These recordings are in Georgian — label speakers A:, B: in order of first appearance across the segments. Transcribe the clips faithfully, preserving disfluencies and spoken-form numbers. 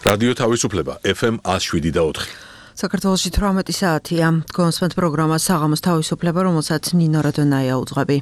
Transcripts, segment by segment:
A: რადიო თავისუფლება ეფ ემ one oh seven და four.
B: საქართველოში eighteen საათია. გონსვენთ პროგრამა საღამოს თავისუფლება, რომელსაც ნინო რადონაია უძღვები.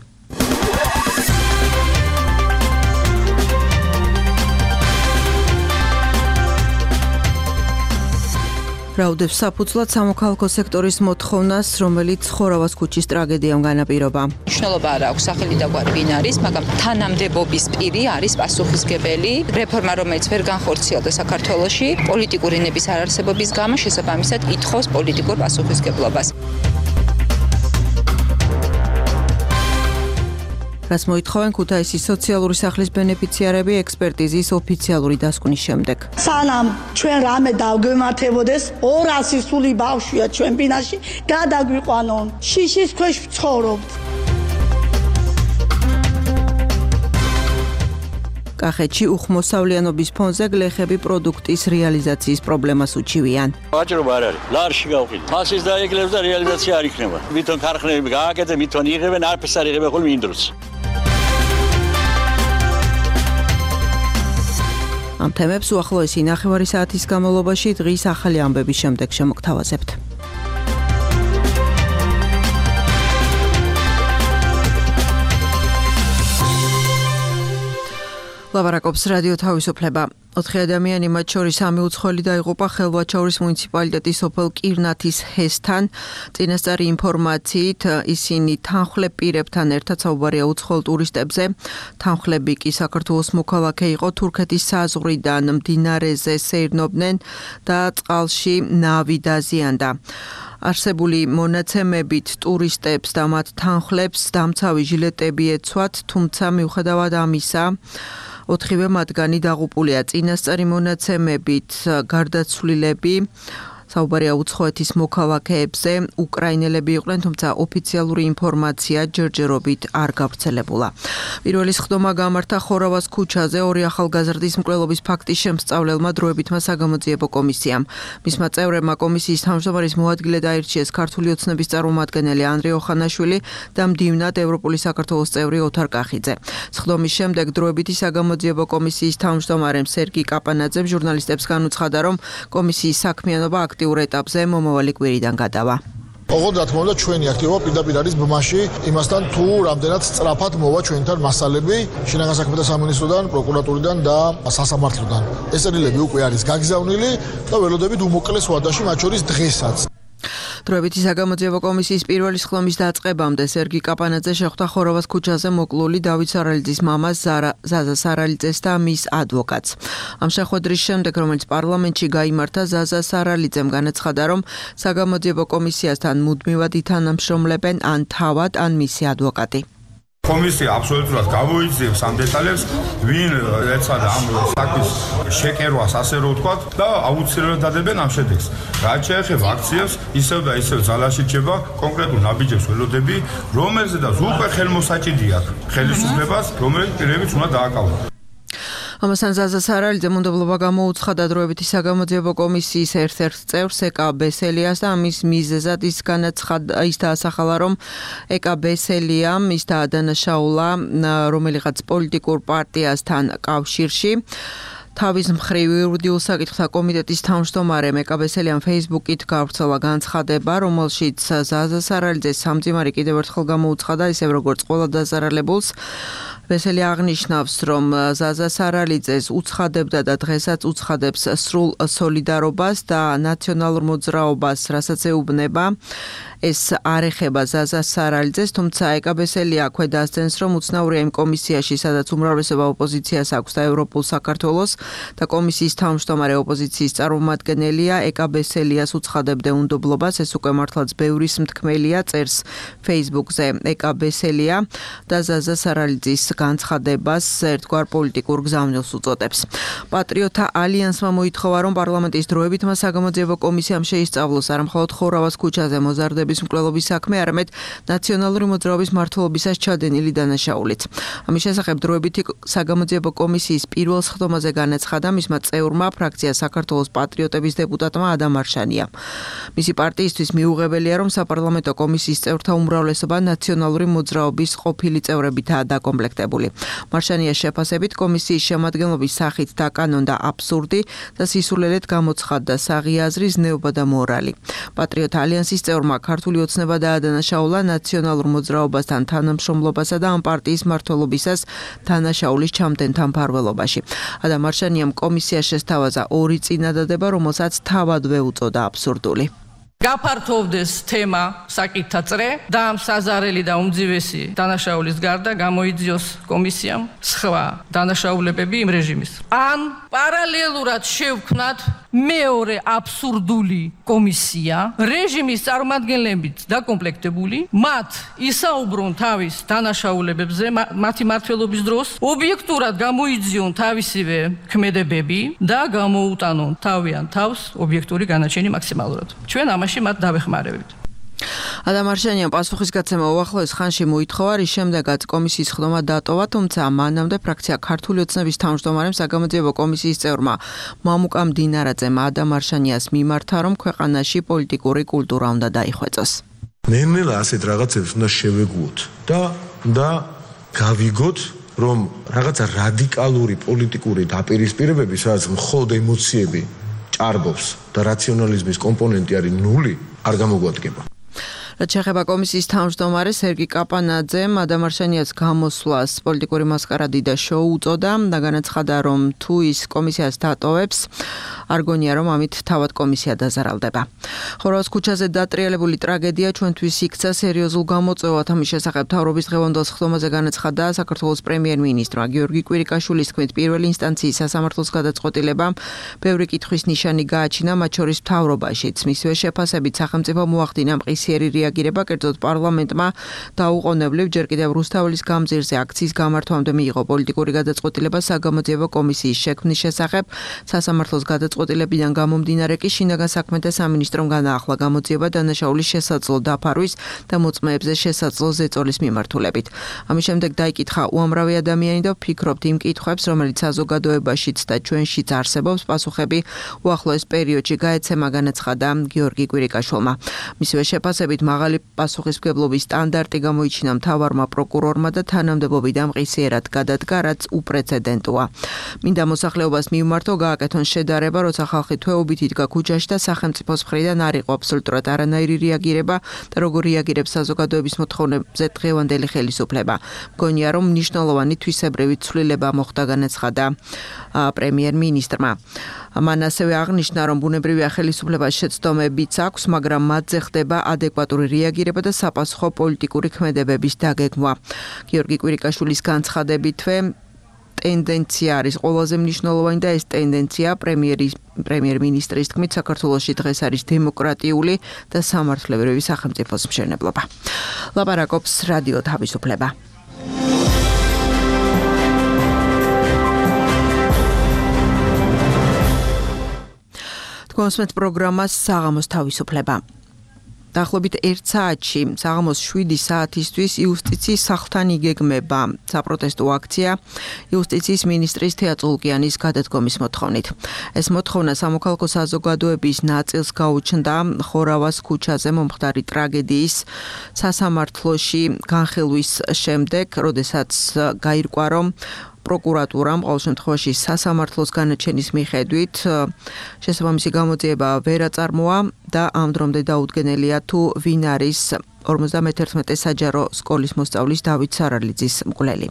B: რაუდებს საფუძვლად სამოქალაქო სექტორის მოთხოვნას, რომელიც ხორავას ქუჩის ტრაგედიამ განაპირობა.
C: მნიშვნელობა არ აქვს სახელი და გვარი ვინ არის, მაგრამ თანამდებობის პირი არის პასუხისმგებელი. რეფორმა, რომელიც ვერ განხორციელდა საქართველოში, პოლიტიკური ნების არარსებობის გამო შესაბამისად ითხოვს პოლიტიკურ პასუხისმგებლობას.
B: რაც მოითხოვენ ქუთაისის სოციალური სახლის ბენეფიციარები ექსპერტიზის ოფიციალური დასკვნის შემდეგ.
D: სანამ ჩვენ რამე დავგვემართებოდეს, ორასი სული ბავშვია ჩვენ ბინაში, გადაგვიყვანონ. შიშის ქვეშ ვცხოვრობთ.
B: კახეთში უხმოსავლიანობის ფონზე გლეხები პროდუქტის რეალიზაციის პრობლემას უჩივიან.
E: ვაჭრობა არ არის. ლარში გავყიდ. ფასის დაეკლებს და რეალიზაცია არ იქნება. ვითომ ქარხნები გააკეთე, მითონ იღებენ, არაფერს არ იღებენ ხოლმე იმ დროს.
B: ამ თემებს უახლოესი ნახევარი საათის განმავლობაში დღის ახალი ამბების შემდეგ შემოგთავაზებთ. ლაბარაკობს რადიო თავისუფლება. ოთხი ადამიანი, მათ შორის სამი უცხოელი დაიღუპა ხელვაჩაურის მუნიციპალიტეტის სოფელ კირნათის ჰესთან. წინასწარი ინფორმაციით ისინი თანხლებ პირებთან ერთად საუბარია უცხოელ ტურისტებზე. თანხლები კი საქართველოს მოქალაქე იყო, თურქეთის საზღვრიდან მდინარეზე სეირნობდნენ და წყალში ნავი დაზიანდა. არსებული მონაცემებით ტურისტებს და მათ თანხლებს დამცავი ჟილეტები ეცვათ, თუმცა მიუხედავად ამისა ოთხივე მათგანი დაღუპულია. წინასწარი მონაცემებით გარდაცვლილები საუბარია უცხოეთის მოქალაქეებზე, უკრაინელები იყვნენ, თუმცა ოფიციალური ინფორმაცია ჯერჯერობით არ გავრცელებულა. პირველი სხდომა გამართა ხორავას ქუჩაზე ორი ახალგაზრდის მკვლელობის ფაქტის შემსწავლელმა დროებითმა საგამოძიებო კომისიამ. მისმა წევრებმა კომისიის თავმჯდომარის მოადგილედ აირჩიეს ქართული ოცნების წარმომადგენელი ანდრე ოხანაშვილი და მდივნად ევროპული საქართველოს წევრი ოთარ კახიძე. სხდომის შემდეგ დროებითი საგამოძიებო კომისიის თავმჯდომარემ სერგი კაპანაძემ ჟურნალისტებს განუცხადა, რომ კომისიის საქმიანობა აქტიურ ეტაპზე მომავალი კვირიდან გადავა.
F: ოღონდ რა თქმა უნდა ჩვენი აქტივობა პირდაპირ არის ბმაში იმასთან თუ რამდენად სწრაფად მოვა ჩვენთან მასალები შინაგან საქმეთა სამინისტროდან, პროკურატურიდან და სასამართლოდან. ეს წერილები უკვე არის გაგზავნილი და ველოდებით უმოკლეს ვადაში, მათ შორის დღესაც.
B: დროებითი საგამოძიებო კომისიის პირველი სხდომის დაწყებამდე სერგი კაპანაძე შეხვდა ხორავას ქუჩაზე მოკლული დავით სარალიძის მამას ზაზა სარალიძეს და მის ადვოკატს. ამ შეხვედრის შემდეგ, რომელიც პარლამენტში გაიმართა, ზაზა სარალიძემ განაცხადა, რომ საგამოძიებო კომისიასთან მუდმივად ითანამშრომლებენ ან თავად, ან მისი ადვოკატი.
G: კომისია აბსოლუტურად გამოიძიებს ამ დეტალებს, ვინ ეცადა ამ საქმის შეკერვას, ასე რომ ვთქვათ, და აუცილებლად დადებენ ამ შედეგს. რაც შეეხება აქციებს, ისევ და ისევ ძალაში რჩება კონკრეტულ ნაბიჯებს ველოდები, რომელზედაც უკვე ხელმოსაჭიდი აქვს ხელისუფლებას, რომელიც პირებიც უნდა დააკავონ.
B: ამასთან ზაზა სარალიძემ უნდობლობა გამოუცხადა დროებითი საგამოძიებო კომისიის ერთ-ერთ წევრს ეკა ბესელიას და ამის მიზეზად ის განაცხადა, ის დაასახალა, რომ ეკა ბესელიამ ის დაადანაშაულა რომელიღაც პოლიტიკურ პარტიასთან კავშირში. თავის მხრივ იურიდიულ საკითხთა კომიტეტის თავმჯდომარემ ეკა ბესელიამ Facebook-ით გავრცელა განცხადება, რომელშიც ზაზა სარალიძეს სამძიმარი კიდევ ერთხელ გამოუცხადა, ისევ როგორც ყველა დაზარალებულს. ბესელი აღნიშნავს, რომ ზაზა სარალიძეს უცხადებდა და დღესაც უცხადებს სრულ სოლიდარობას და ნაციონალურ მოძრაობას, რასაც ეუბნება. ეს არ ეხება ზაზა სარალიძეს, თუმცა ეკა ბესელი აქვე დასძენს, რომ უცნაურია იმ კომისიაში, სადაც უმრავლესობა ოპოზიციას აქვს და ევროპულ საქართველოს და კომისიის თავმჯდომარე ოპოზიციის წარმომადგენელია, ეკა ბესელიას უცხადებდა უნდობლობას, ეს უკვე მართლაც ბევრის მთქმელია, წერს Facebook-ზე ეკა ბესელია და ზაზა სარალიძის განცხადებას ერთგვარ პოლიტიკურ გზავნილს უწოდებს. პატრიოტთა ალიანსმა მოითხოვა, რომ პარლამენტის დროებითმა საგამოძიებო კომისიამ შეისწავლოს არა მხოლოდ ხორავას ქუჩაზე მოზარდების მკვლელობის საქმე, არამედ ნაციონალური მოძრაობის მმართველობისას ჩადენილი დანაშაულიც. ამის შესახებ დროებითი საგამოძიებო კომისიის პირველ სხდომაზე განაცხადა განაცხადა მისმა წევრმა ფრაქცია საქართველოს პატრიოტების დეპუტატმა ადამ მარშანიამ. მისი პარტიისთვის მიუღებელია, რომ საპარლამენტო კომისიის წევრთა უმრავლესობა ნაციონალური მოძრაობის ყოფილი წევრებითაა დაკომპლექტებული. მარშანიას შეფასებით კომისიის შემადგენლობის სახით დაკანონდა აბსურდი და სისულელედ გამოცხადდა საღი აზრი, ზნეობა და მორალი. პატრიოტ ალიანსის წევრმა ქართული ოცნება დაადანაშაულა ნაციონალურ მოძრაობასთან თანამშრომლობასა და ამ პარტიის მმართველობისას დანაშაულის ჩამდენთან მფარველობაში. ადამ მარშანიამ კომისიას შესთავაზა ორი წინადადება, რომელსაც თავადვე უწოდა აბსურდული.
H: გაფართოვდეს თემა საკითხთა წრე და ამ საზარელი და უმძივესი დანაშაულის გარდა გამოიძიოს კომისიამ სხვა დანაშაულებები იმ რეჟიმის. ან პარალელურად შევქმნათ მეორე აბსურდული კომისია, რეჟიმის წარმომადგენლებით დაკომპლექტებული, მათ ისაუბრონ თავის დანაშაულებებზე მათი მმართველობის დროს, ობიექტურად გამოიძიონ თავისივე ქმედებები და გამოუტანონ თავიან თავს ობიექტური განაჩენი მაქსიმალურად. ჩვენ ამაში მათ დავეხმარებით.
B: ადამ მარშანიამ პასუხისგაცემა უახლოეს ხანში მოითხოვა, რის შემდეგაც კომისიის ხდომა დატოვა, თუმცა მანამდე ფრაქცია ქართული ოცნების თავმჯდომარემ საგამოძიებო კომისიის წევრმა მამუკა მდინარაძემ ადამ მარშანიას მიმართა, რომ ქვეყანაში პოლიტიკური კულტურა უნდა დაიხვეწოს.
I: ნელ-ნელა ასეთ რაღაცებს უნდა შევეგუოთ და და გავიგოთ, რომ რაღაცა რადიკალური პოლიტიკური დაპირისპირებები, სადაც მხოლოდ ემოციები ჭარბობს და რაციონალიზმის კომპონენტი არის ნული, არ გამოგვადგება.
B: რაც შეეხება კომისიის თავმჯდომარეს სერგი კაპანაძემ ადამ მარშანიას გამოსვლას პოლიტიკური მასკარადი და შოუ უწოდა და განაცხადა, რომ თუ ის კომისიას დატოვებს, არ გონია, რომ ამით თავად კომისია დაზარალდება. ხორვატის ქუჩაზე დატრიალებული ტრაგედია ჩვენთვის იქცა სერიოზულ გამოწვევად. ამის შესახებ მთავრობის დღევანდელ ხდომაზე განაცხადა საქართველოს პრემიერ-მინისტრმა გიორგი კვირიკაშვილის თქმით, პირველი ინსტანციის სასამართლოს გადაწყვეტილებამ ბევრი კითხვის ნიშანი გააჩინა, მათ შორის მთავრობაშიც. მისივე შეფასებით სახელმწიფო მოახდინა მყისიერი რეაგირება, კერძოდ პარლამენტმა დაუყოვნებლივ ჯერ კიდევ რუსთაველის გამზირზე აქციის გამართვამდე მიიღო პოლიტიკური გადაწყვეტილება საგამოძიებო კომისიის შექმნის შესახებ. სასამართლოს გადაწყვეტილებიდან გამომდინარე კი შინაგან საქმეთა სამინისტრომ განაახლა გამოძიება დანაშაულის შესაძლო დაფარვის და მოწმეებზე შესაძლო ზეწოლის მიმართულებით. ამის შემდეგ დაიკითხა უამრავი ადამიანი და ვფიქრობთ იმ კითხვებს, რომელიც საზოგადოებაშიც და ჩვენშიც არსებობს, პასუხები უახლოეს პერიოდში გაეცემა, განაცხადა გიორგი კვირიკაშვილმა. მისივე შეფასებით მაღალი პასუხისმგებლობის სტანდარტი გამოიჩინა მთავარმა პროკურორმა და თანამდებობიდან მყისიერად გადადგა, რაც უპრეცედენტოა. მინდა მოსახლეობას მივმართო, გააკეთონ შედარება, როცა ხალხი თვეობით იდგა ქუჩაში და სახელმწიფოს მხრიდან არ იყო აბსოლუტურად არანაირი რეაგირება და როგორ რეაგირებს საზოგადოების მოთხოვნებზე დღევანდელი ხელისუფლება. მგონია, რომ მნიშვნელოვანი თვისებრივი ცვლილება მოხდა, განაცხადა პრემიერ-მინისტრმა. მან ასევე აღნიშნა, რომ ბუნებრივია ხელისუფლებას შეცდომებიც აქვს, მაგრამ მათზე ხდება ადეკვატური რეაგირება და საპასუხო პოლიტიკური ქმედებების დაგეგმვა. გიორგი კვირიკაშვილის განცხადებითვე ტენდენცია არის ყველაზე მნიშვნელოვანი და ეს ტენდენცია პრემიერის პრემიერ-მინისტრის თქმით საქართველოში დღეს არის დემოკრატიული და სამართლებრივი სახელმწიფოს მშენებლობა. ლაპარაკობს რადიო თავისუფლება. თქვენს პროგრამას საღამოს თავისუფლება. დაახლოებით ერთ საათში საღამოს შვიდი საათისთვის იუსტიციის სახლთან იგეგმება საპროტესტო აქცია იუსტიციის მინისტრის თეა წულკიანის გადადგომის მოთხოვნით. ეს მოთხოვნა სამოქალაქო საზოგადოების ნაწილს გაუჩნდა ხორავას ქუჩაზე მომხდარი ტრაგედიის სასამართლოში განხილვის შემდეგ, როდესაც გაირკვა, რომ პროკურატურამ ყოველ შემთხვევაში სასამართლოს განაჩენის მიხედვით შესაბამისი გამოძიება ვერ აწარმოა და ამ დრომდე დაუდგენელია თუ ვინ არის ორმოცდამეთერთმეტე საჯარო სკოლის მოსწავლის დავით სარალიძის მკვლელი.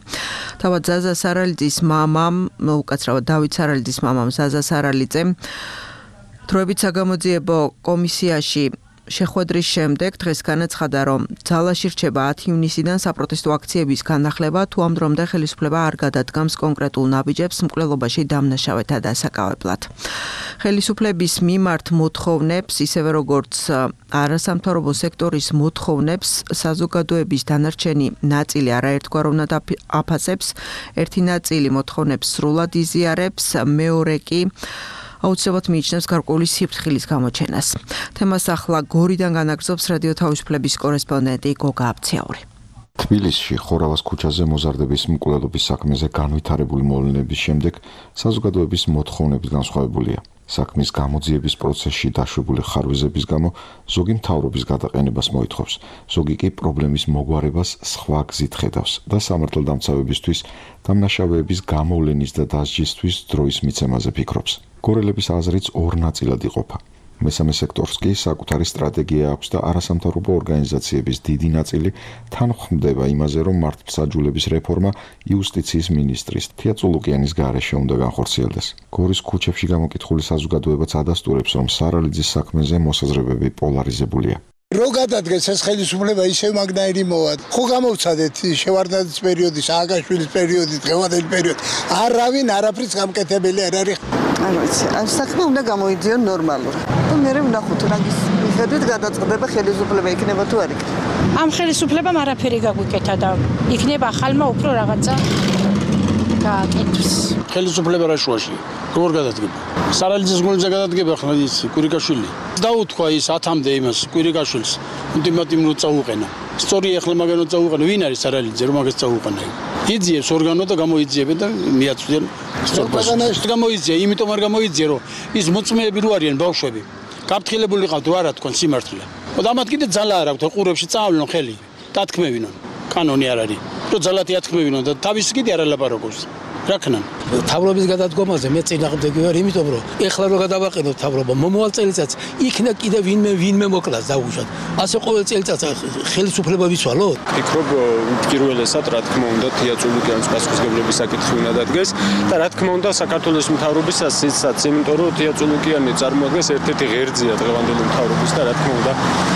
B: თავად ზაზა სარალიძის მამამ, უკაცრავად დავით სარალიძის მამამ ზაზა სარალიძემ დროებით საგამოძიებო კომისიაში შეხვედრის შემდეგ დღეს განაცხადა, რომ ძალაში რჩება ათი ივნისიდან საპროტესტო აქციების განახლება, თუ ამ დრომდე ხელისუფლება არ გადადგამს კონკრეტულ ნაბიჯებს მკვლელობაში დამნაშავეთა დასაკავებლად. ხელისუფლების მიმართ მოთხოვნებს, ისევე როგორც არასამთავრობო სექტორის მოთხოვნებს, საზოგადოების დანარჩენი ნაწილი არაერთგვაროვნად აფასებს, ერთი ნაწილი მოთხოვნებს სრულად იზიარებს, მეორე კი აუცილებლად მიიჩნევს გარკვეული სიფრთხილის გამოჩენას. თემას ახლა გორიდან განაგრძობს რადიო თავისუფლების კორესპონდენტი გოგა აბციაური.
J: თბილისში ხორავას ქუჩაზე მოზარდების მკვლელობის საქმეზე განვითარებული მოვლენების შემდეგ საზოგადოების მოთხოვნების განსხვავებულია. საქმის გამოძიების პროცესში დაშვებული ხარვეზების გამო ზოგი მთავრობის გადაყენებას მოითხოვს, ზოგი კი პრობლემის მოგვარებას სხვა გზით ხედავს და სამართალდამცავებისთვის დამნაშავეების გამოვლენის და დასჯისთვის დროის მიცემაზე ფიქრობს. გორელების აზრიც ორ ნაწილად იყოფა. მესამე სექტორს კი საკუთარი სტრატეგია აქვს და არასამთავრობო ორგანიზაციების დიდი ნაწილი თანხმდება იმაზე, რომ მართლმსაჯულების რეფორმა იუსტიციის მინისტრის თია წულუკიანის გარეშე უნდა განხორციელდეს. გორის ქუჩებში გამოკითხული საზოგადოებაც ადასტურებს, რომ სარალიძის საქმეზე მოსაზრებები პოლარიზებულია.
K: რო გადადგეს ეს ხელისუფლება ისევ მაგნაირი მოვა. ხო გამოვცადეთ შევარდნაძის პერიოდი, სააკაშვილის პერიოდი, დღევანდელი პერიოდი. არავინ არაფრის გამკეთებელი არ არის.
L: ანუ ეს საქმე უნდა გამოიძიონ ნორმალურად. და მე ვნახოთ რა ის მიხედვით გადაწყდება ხელისუფლება იქნება თუ არ იქნება.
M: ამ ხელისუფლებამ არაფერი გაგვიკეთა და იქნება ახალმა უფრო რაღაცა გააკეთოს.
N: ხელისუფლება რა შუაში? როგორ გადადგება? სარალიძის გულზე გადადგება ხლა ის კვირიკაშვილი. დაუთქვა ის ათამდე იმას კვირიკაშვილს. ულტიმატუმი წაუყენა. სწორი ახლა მაგანო წაუყენა. ვინ არის სარალიძე რომ მაგას წაუყენა? იძიებს ორგანო და გამოიძიებენ და მიაწვდიან სწორებას. გამოიძია, იმიტომ არ გამოიძია რომ ის მოწმეები რო არიან ბავშვები. გაფრთხილებული ყავთ რა რა თქვენ სიმართლე. და ამათ კიდე ძალა არ აქვთ ყურებში წავლონ ხელი. დათქმევინონ. კანონი არ არის. რო ძალათი ათქმევინონ და თავის კიდე არ ალაპარაკობს. რა ქნან?
O: თავრობის გადადგომაზე მე წინააღმდეგი ვარ, იმიტომ რომ ეხლა რო გადავაყენოთ თავრობა, მომავალ წელიწადს იქნა კიდე ვინმე ვინმე მოკლას დაუშვათ. ასე ყოველ წელიწადს ხელისუფლება ვიცვალოთ?
P: ფიქრობ პირველესად რა თქმა უნდა თია წულუკიანის პასუხისმგებლობის საკითხი უნდა დადგეს და რა თქმა უნდა საქართველოს მთავრობისას ისაც, იმიტომ რომ თია წულუკიანი წარმოადგენს ერთ-ერთი ღერძია დღევანდელი მთავრობის და რა თქმა უნდა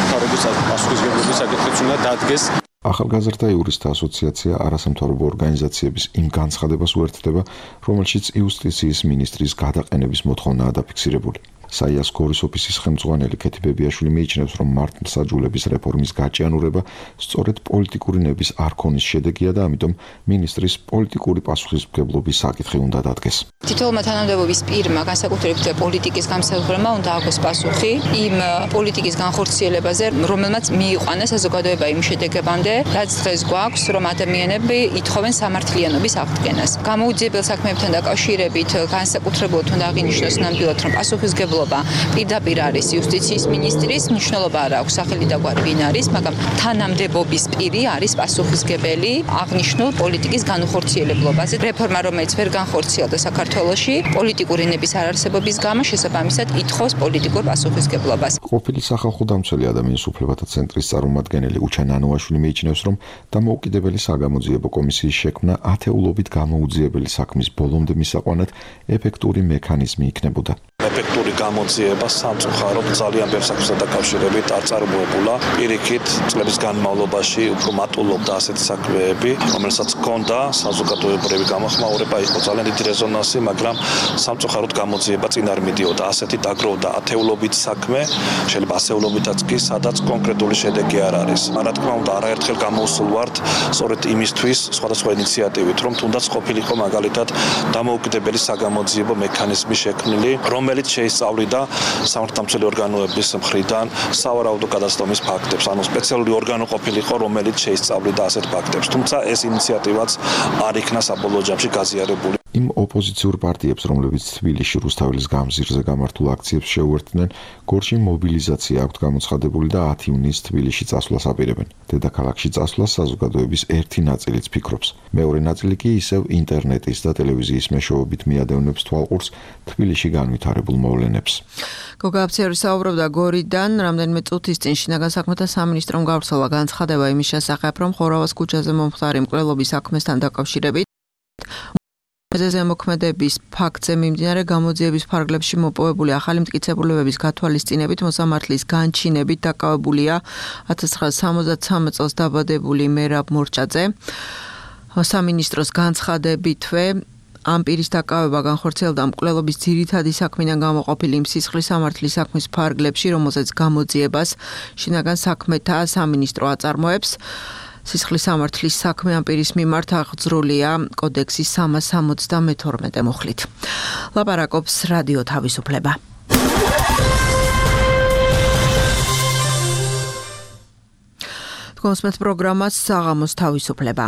P: მთავრობის პასუხისმგებლობის საკითხიც უნდა დადგეს.
J: ახალგაზრდა იურისტთა ასოციაცია არასამთავრობო ორგანიზაციების იმ განცხადებას უერთდება, რომელშიც იუსტიციის მინისტრის გადაყენების მოთხოვნაა დაფიქსირებული. საიას გორის ოფისის ხელმძღვანელი ქეთი ბებიაშვილი მიიჩნევს, რომ მართლმსაჯულების რეფორმის გაჭიანურება სწორედ პოლიტიკური ნების არქონის შედეგია და ამიტომ მინისტრის პოლიტიკური პასუხისმგებლობის საკითხი უნდა დადგეს.
C: თითოეულმა თანამდებობის პირმა, განსაკუთრებით პოლიტიკის გამსაუბრებმა უნდა აქვს პასუხი იმ პოლიტიკის განხორციელებაზე, რომელმაც მიიყვანა საზოგადოება იმ შედეგებამდე, რაც დღეს გვაქვს, რომ ადამიანები ითხოვენ სამართლიანობის აღდგენას. გამოუძიებელ საქმეებთან დაკავშირებით განსაკუთრებულად უნდა აღინიშნოს ნამდვილად, რომ პასუხისმგებლობა პირდაპირ არის იუსტიციის მინისტრის, მნიშვნელობა არ აქვს სახელი და გვარი ვინ არის, მაგრამ თანამდებობის პირი არის პასუხისმგებელი აღნიშნულ პოლიტიკის განხორციელებლობაზე. რეფორმა, რომელიც ვერ განხორციელდა საქართველოში, პოლიტიკური ნების არარსებობის გამო შესაბამისად ითხოვს პოლიტიკურ პასუხისმგებლობას.
J: ყოფილი სახალხო დამცველი ადამიანის უფლებათა ცენტრის წარმომადგენელი უჩან ანუაშვილი მიიჩნევს, რომ დამოუკიდებელი საგამოძიებო კომისიის შექმნა ათეულობით გამოუძიებელი საქმის ბოლომდე მისაყვანად ეფექტური მექანიზმი იქნებოდა.
Q: ეფექტური გამოძიება სამწუხაროდ ძალიან ბევრ საქმესთან დაკავშირებით არ წარმოებულა. პირიქით, წლების განმავლობაში უფრო მატულობდა ასეთი საქმეები, რომელსაც ჰქონდა საზოგადოებრივი გამოხმაურება, იყო ძალიან დიდი რეზონანსი, მაგრამ სამწუხაროდ გამოძიება წინ არ მიდიოდა. ასეთი დაგროვდა ათეულობით საქმე, შეიძლება ასეულობითაც კი, სადაც კონკრეტული შედეგი არ არის. რა თქმა უნდა, არაერთხელ გამოვსულ ვართ სწორედ იმისთვის სხვადასხვა ინიციატივით, რომ თუნდაც ყოფილიყო მაგალითად დამოუკიდებელი საგამოძიებო მექანიზმი შექმნილი, რომელიც შეისწავლიდა სამართალდამცველი ორგანოების მხრიდან სავარაუდო გადაცდომის ფაქტებს, ანუ სპეციალური ორგანო ყოფილიყო, რომელიც შეისწავლიდა ასეთ ფაქტებს. თუმცა ეს ინიციატივაც არ იქნა საბოლოო ჯამში გაზიარებული.
J: იმ ოპოზიციურ პარტიებს, რომლებიც თბილისში რუსთაველის გამზირზე გამართულ აქციებს შეუერთდნენ, გორში მობილიზაცია აქვთ გამოცხადებული და ათი ივნისს თბილისში წასვლას აპირებენ. დედაქალაქში წასვლას საზოგადოების ერთი ნაწილიც ფიქრობს. მეორე ნაწილი კი ისევ ინტერნეტის და ტელევიზიის მეშვეობით მიადევნებს თვალყურს თბილისში განვითარებულ მოვლენებს.
B: გოგა აფციერი საუბრობდა გორიდან, რამდენიმე წუთის წინ შინაგან საქმეთა სამინისტრომ გავრცელა განცხადება იმის შესახებ, რომ ხორავას ქუჩაზე მომხდარი მკვლელობის საქმესთან დაკავშირებით ზემოქმედების ფაქტზე მიმდინარე გამოძიების ფარგლებში მოპოვებული ახალი მტკიცებულებების გათვალისწინებით მოსამართლის განჩინებით დაკავებულია ათას ცხრაასი სამოცდათსამი წელს დაბადებული მერაბ მორჩაძე. სამინისტროს განცხადებითვე ამ პირის დაკავება განხორციელდა მკვლელობის ძირითადი საქმიდან გამოყოფილი იმ სისხლის სამართლის საქმის ფარგლებში, რომელზეც გამოძიებას შინაგან საქმეთა სამინისტრო აწარმოებს. სისხლის სამართლის საქმე ამ პირის მიმართ აღძრულია კოდექსის სამას სამოცდამეთორმეტე მუხლით. ლაპარაკობს რადიო თავისუფლება. თქვენს პროგრამას საღამოს თავისუფლება.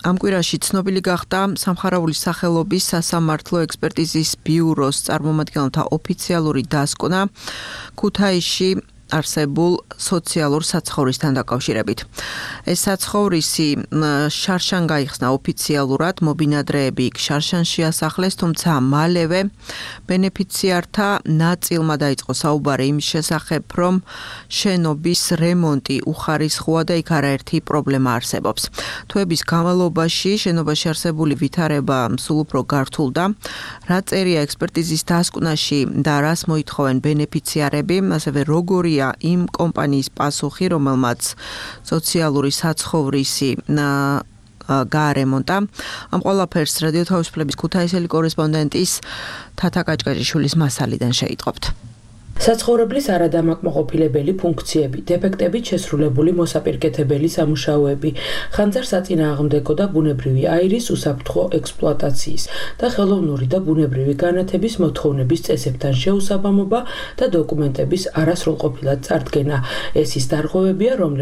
B: ამ კვირაში ცნობილი გახდა სამხარაულის სახელობის სასამართლო ექსპერტიზის ბიუროს წარმომადგენელთა ოფიციალური დასკვნა ქუთაისში არსებულ სოციალურ საცხოვრისთან დაკავშირებით. ეს საცხოვრისი შარშან გაიხსნა ოფიციალურად, მობინადრეები იქ შარშანში ასახლეს, თუმცა მალევე ბენეფიციართა ნაწილმა დაიწყო საუბარი იმის შესახებ, რომ შენობის რემონტი უხარისხოა და იქ არაერთი პრობლემა არსებობს. თვეების განმავლობაში შენობაში არსებული ვითარება სულ უფრო გართულდა. რა წერია ექსპერტიზის დასკვნაში და რას მოითხოვენ ბენეფიციარები, ასევე როგორია იმ კომპანიის პასუხი, რომელმაც სოციალური საცხოვრისი გაარემონტა. ამ ყველაფერს რადიო თავისუფლების ქუთაისელი კორესპონდენტის თათა კაჭკაჭიშვილის მასალიდან შეიტყობთ.
R: საცხოვრებლის არადამაკმაყოფილებელი ფუნქციები, დეფექტებით შესრულებული მოსაპირკეთებელი სამუშაოები, ხანძარსაწინააღმდეგო და ბუნებრივი აირის უსაფრთხო ექსპლუატაციის და ხელოვნური და ბუნებრივი განათების მოთხოვნების წესებთან შეუსაბამობა და დოკუმენტების არასრულყოფილად წარდგენა. ეს ის დარღვევებია, რომლებიც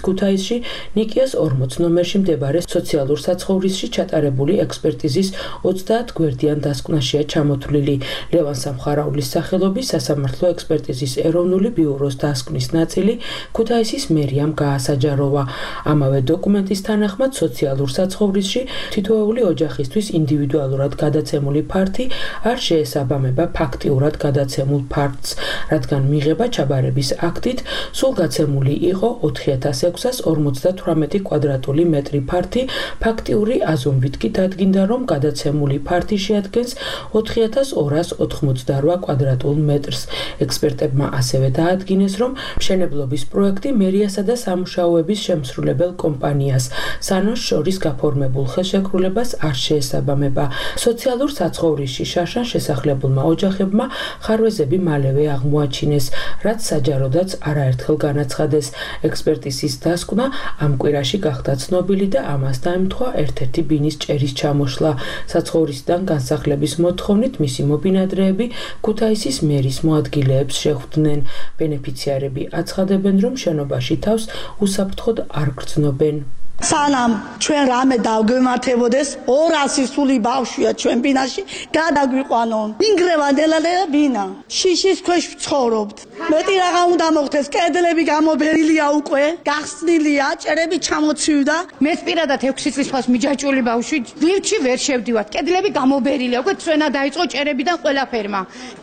R: ქუთაისში ნიკიას ორმოც ნომერში მდებარე სოციალურ საცხოვრისში ჩატარებული ექსპერტიზის ოცდაათ გვერდიან დასკვნაშია ჩამოთვლილი. ლევან სამხარაულის სახელობის სასამართლო ექსპერტიზის ეროვნული ბიუროს დასკვნის ნაწილი ქუთაისის მერიამ გაასაჯაროვა. ამავე დოკუმენტის თანახმად სოციალურ საცხოვრისში თითოეული ოჯახისთვის ინდივიდუალურად გადაცემული ფართი არ შეესაბამება ფაქტიურად გადაცემულ ფართს, რადგან მიღება ჩაბარების აქტით სულ გაცემული იყო ოთხი ათას ექვსას ორმოცდათვრამეტი კვადრატული მეტრი ფართი, ფაქტიური აზომვით კი დადგინდა, რომ გადაცემული ფართი შეადგენს ოთხი ათას ორას ოთხმოცდარვა კვადრატულ მეტრს. ექსპერტებმა ასევე დაადგინეს, რომ მშენებლობის პროექტი მერიასა და სამუშაოების შემსრულებელ კომპანიას სანოს შორის გაფორმებულ ხელშეკრულებას არ შეესაბამება. სოციალურ საცხოვრისში შარშან შესახლებულმა ოჯახებმა ხარვეზები მალევე აღმოაჩინეს, რაც საჯაროდაც არაერთხელ განაცხადეს. ექსპერტიზის დასკვნა ამ კვირაში გახდა ცნობილი და ამას დაემთხვა ერთ-ერთი ბინის ჭერის ჩამოშლა. საცხოვრისიდან განსახლების მოთხოვნით მისი მობინადრეები ქუთაისის მერის მოადგილეებს შეხვდნენ. ბენეფიციარები აცხადებენ, რომ შენობაში თავს უსაფრთხოდ არ გრძნობენ.
D: სანამ ჩვენ რამე დავგვემართებოდეს ორასი სული ბავშვია ჩვენ ბინაში გადაგვიყვანონ ინგრევანდელალე ბინა შიშის ქვეშ ვცხოვრობთ მეტი რაღა უნდა მოხდეს კედლები გამობერილია უკვე გახსნილია ჭერები ჩამოცივდა
S: მეც პირადად ექვსი წლის ფას მიჯაჭვული ბავშვი ლიფტში ვერ შევდივართ კედლები გამობერილია უკვე ჩვენა დაიწყო ჭერებიდან ყველაფერმა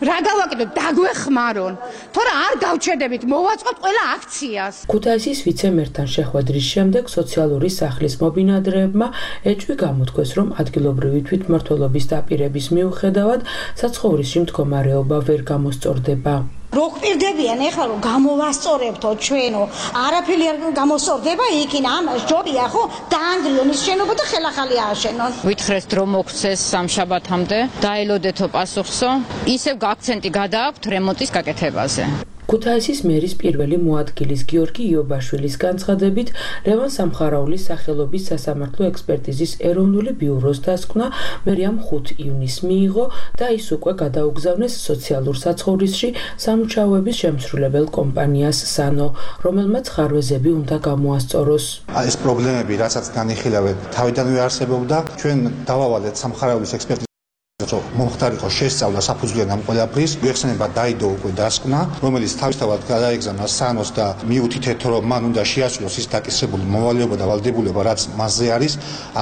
S: რა გავაკეთოთ დაგვეხმარონ თორე არ გავჩერდებით მოვაწყოთ ყველა აქციას
R: ქუთაისის ვიცემერთან შეხვედრის შემდეგ სოციალური სახლის მობინადრეებმა ეჭვი გამოთქვეს, რომ ადგილობრივი თვითმმართველობის დაპირების მიუხედავად საცხოვრისში მდგომარეობა ვერ გამოსწორდება.
S: რო გვპირდებიან ეხლა რომ გამოვასწორებთო ჩვენო არაფერი არ გამოსწორდება იქინ ამას ჯობია ხო დაანგრიონ ის შენობა და ხელახალი ააშენონ
C: ვითხრეს დრო მოგცეს სამშაბათამდე დაელოდეთო პასუხსო ისევ გაქცენტი გადააქვთ რემონტის გაკეთებაზე
R: ქუთაისის მერის პირველი მოადგილის გიორგი იობაშვილის განცხადებით, ლევან სამხარაულის სახელობის სასამართლო ექსპერტიზის ეროვნული ბიუროს დასკვნა მერიამ ხუთი ივნისს მიიღო და ის უკვე გადაუგზავნეს სოციალურ საცხოვრისში სამუშაოების შემსრულებელ კომპანიას სანო, რომელმაც ხარვეზები უნდა გამოასწოროს.
T: ეს პრობლემები, რასაც განიხილავენ, თავიდანვე არსებობდა, ჩვენ დავავალეთ სამხარაულის ექსპერტიზის მომხდარიყო შესწავლა საფუძვლიან ამ ყველაფრის გვეხსენება დაიდო უკვე დასკვნა რომელიც თავისთავად გადაეგზავნა სანოს და მიუთითეთ რომ მან უნდა შეასრულოს ის დაკისრებული მოვალეობა და ვალდებულება რაც მასზე არის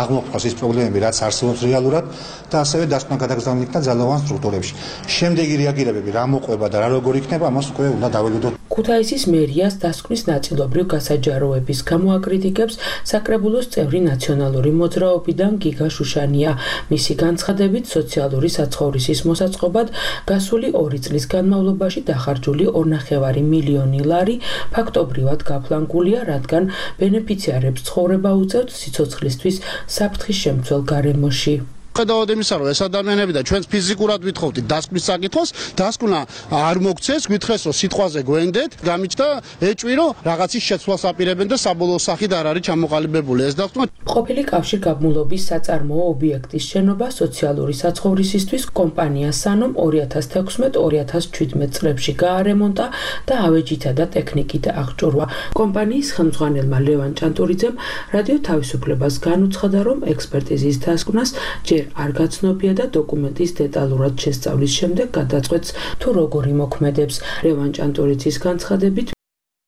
T: აღმოფხვრას ის პრობლემები რაც არსებობს რეალურად და ასევე დასკვნა გადაგზავნილი იქნა ძალოვან სტრუქტურებში შემდეგი რეაგირებები რა მოყვება და რა როგორ იქნება ამას უკვე უნდა დაველოდოთ
R: ქუთაისის მერიას დასკვნის ნაწილობრივ გასაჯაროების გამო აკრიტიკებს საკრებულოს წევრი ნაციონალური მოძრაობიდან გიგა შუშანია მისი განცხადებით სოციალური საცხოვრისის მოსაწყობად გასული ორი წლის განმავლობაში დახარჯული ორნახევარი მილიონი ლარი ფაქტობრივად გაფლანგულია, რადგან ბენეფიციარებს ცხოვრება უწევთ სიცოცხლისთვის საფრთხის შემცველ გარემოში.
N: ხედავთ იმისა, რომ ეს ადამიანები და ჩვენც ფიზიკურად ვითხოვთ დასკვნის საკითხოს, დასკვნა არ მოგცეს, გითხრეს რომ სიტყვაზე გვენდეთ, გამიჩნდა ეჭვი რომ რაღაცის შეცვლას აპირებენ და საბოლოო სახით არ არის ჩამოყალიბებული ეს დასკვნა.
R: ყოფილი კავშირგაბმულობის საწარმოო ობიექტის შენობა სოციალური საცხოვრისისთვის კომპანია სანომ ორი ათას თექვსმეტ ორი ათას ჩვიდმეტ წლებში გაარემონტა და ავეჯითა და ტექნიკით აღჭურვა. კომპანიის ხელმძღვანელმა ლევან ჭანტურიძემ რადიო თავისუფლებას განუცხადა, რომ ექსპერტიზის დასკვნას ჯერ არ გაცნობია და დოკუმენტის დეტალურად შესწავლის შემდეგ გადაწყვეტს თუ როგორ იმოქმედებს. ლევან ჭანტურიძის განცხადებით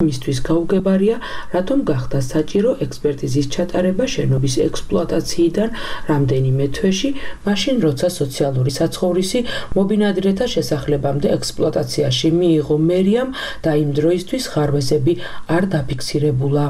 R: მისთვის გაუგებარია, რატომ გახდა საჭირო ექსპერტიზის ჩატარება შენობის ექსპლუატაციიდან რამდენიმე თვეში, მაშინ როცა სოციალური საცხოვრისი მობინადრეთა შესახლებამდე ექსპლუატაციაში მიიღო მერიამ და იმ დროისთვის ხარვეზები არ დაფიქსირებულა.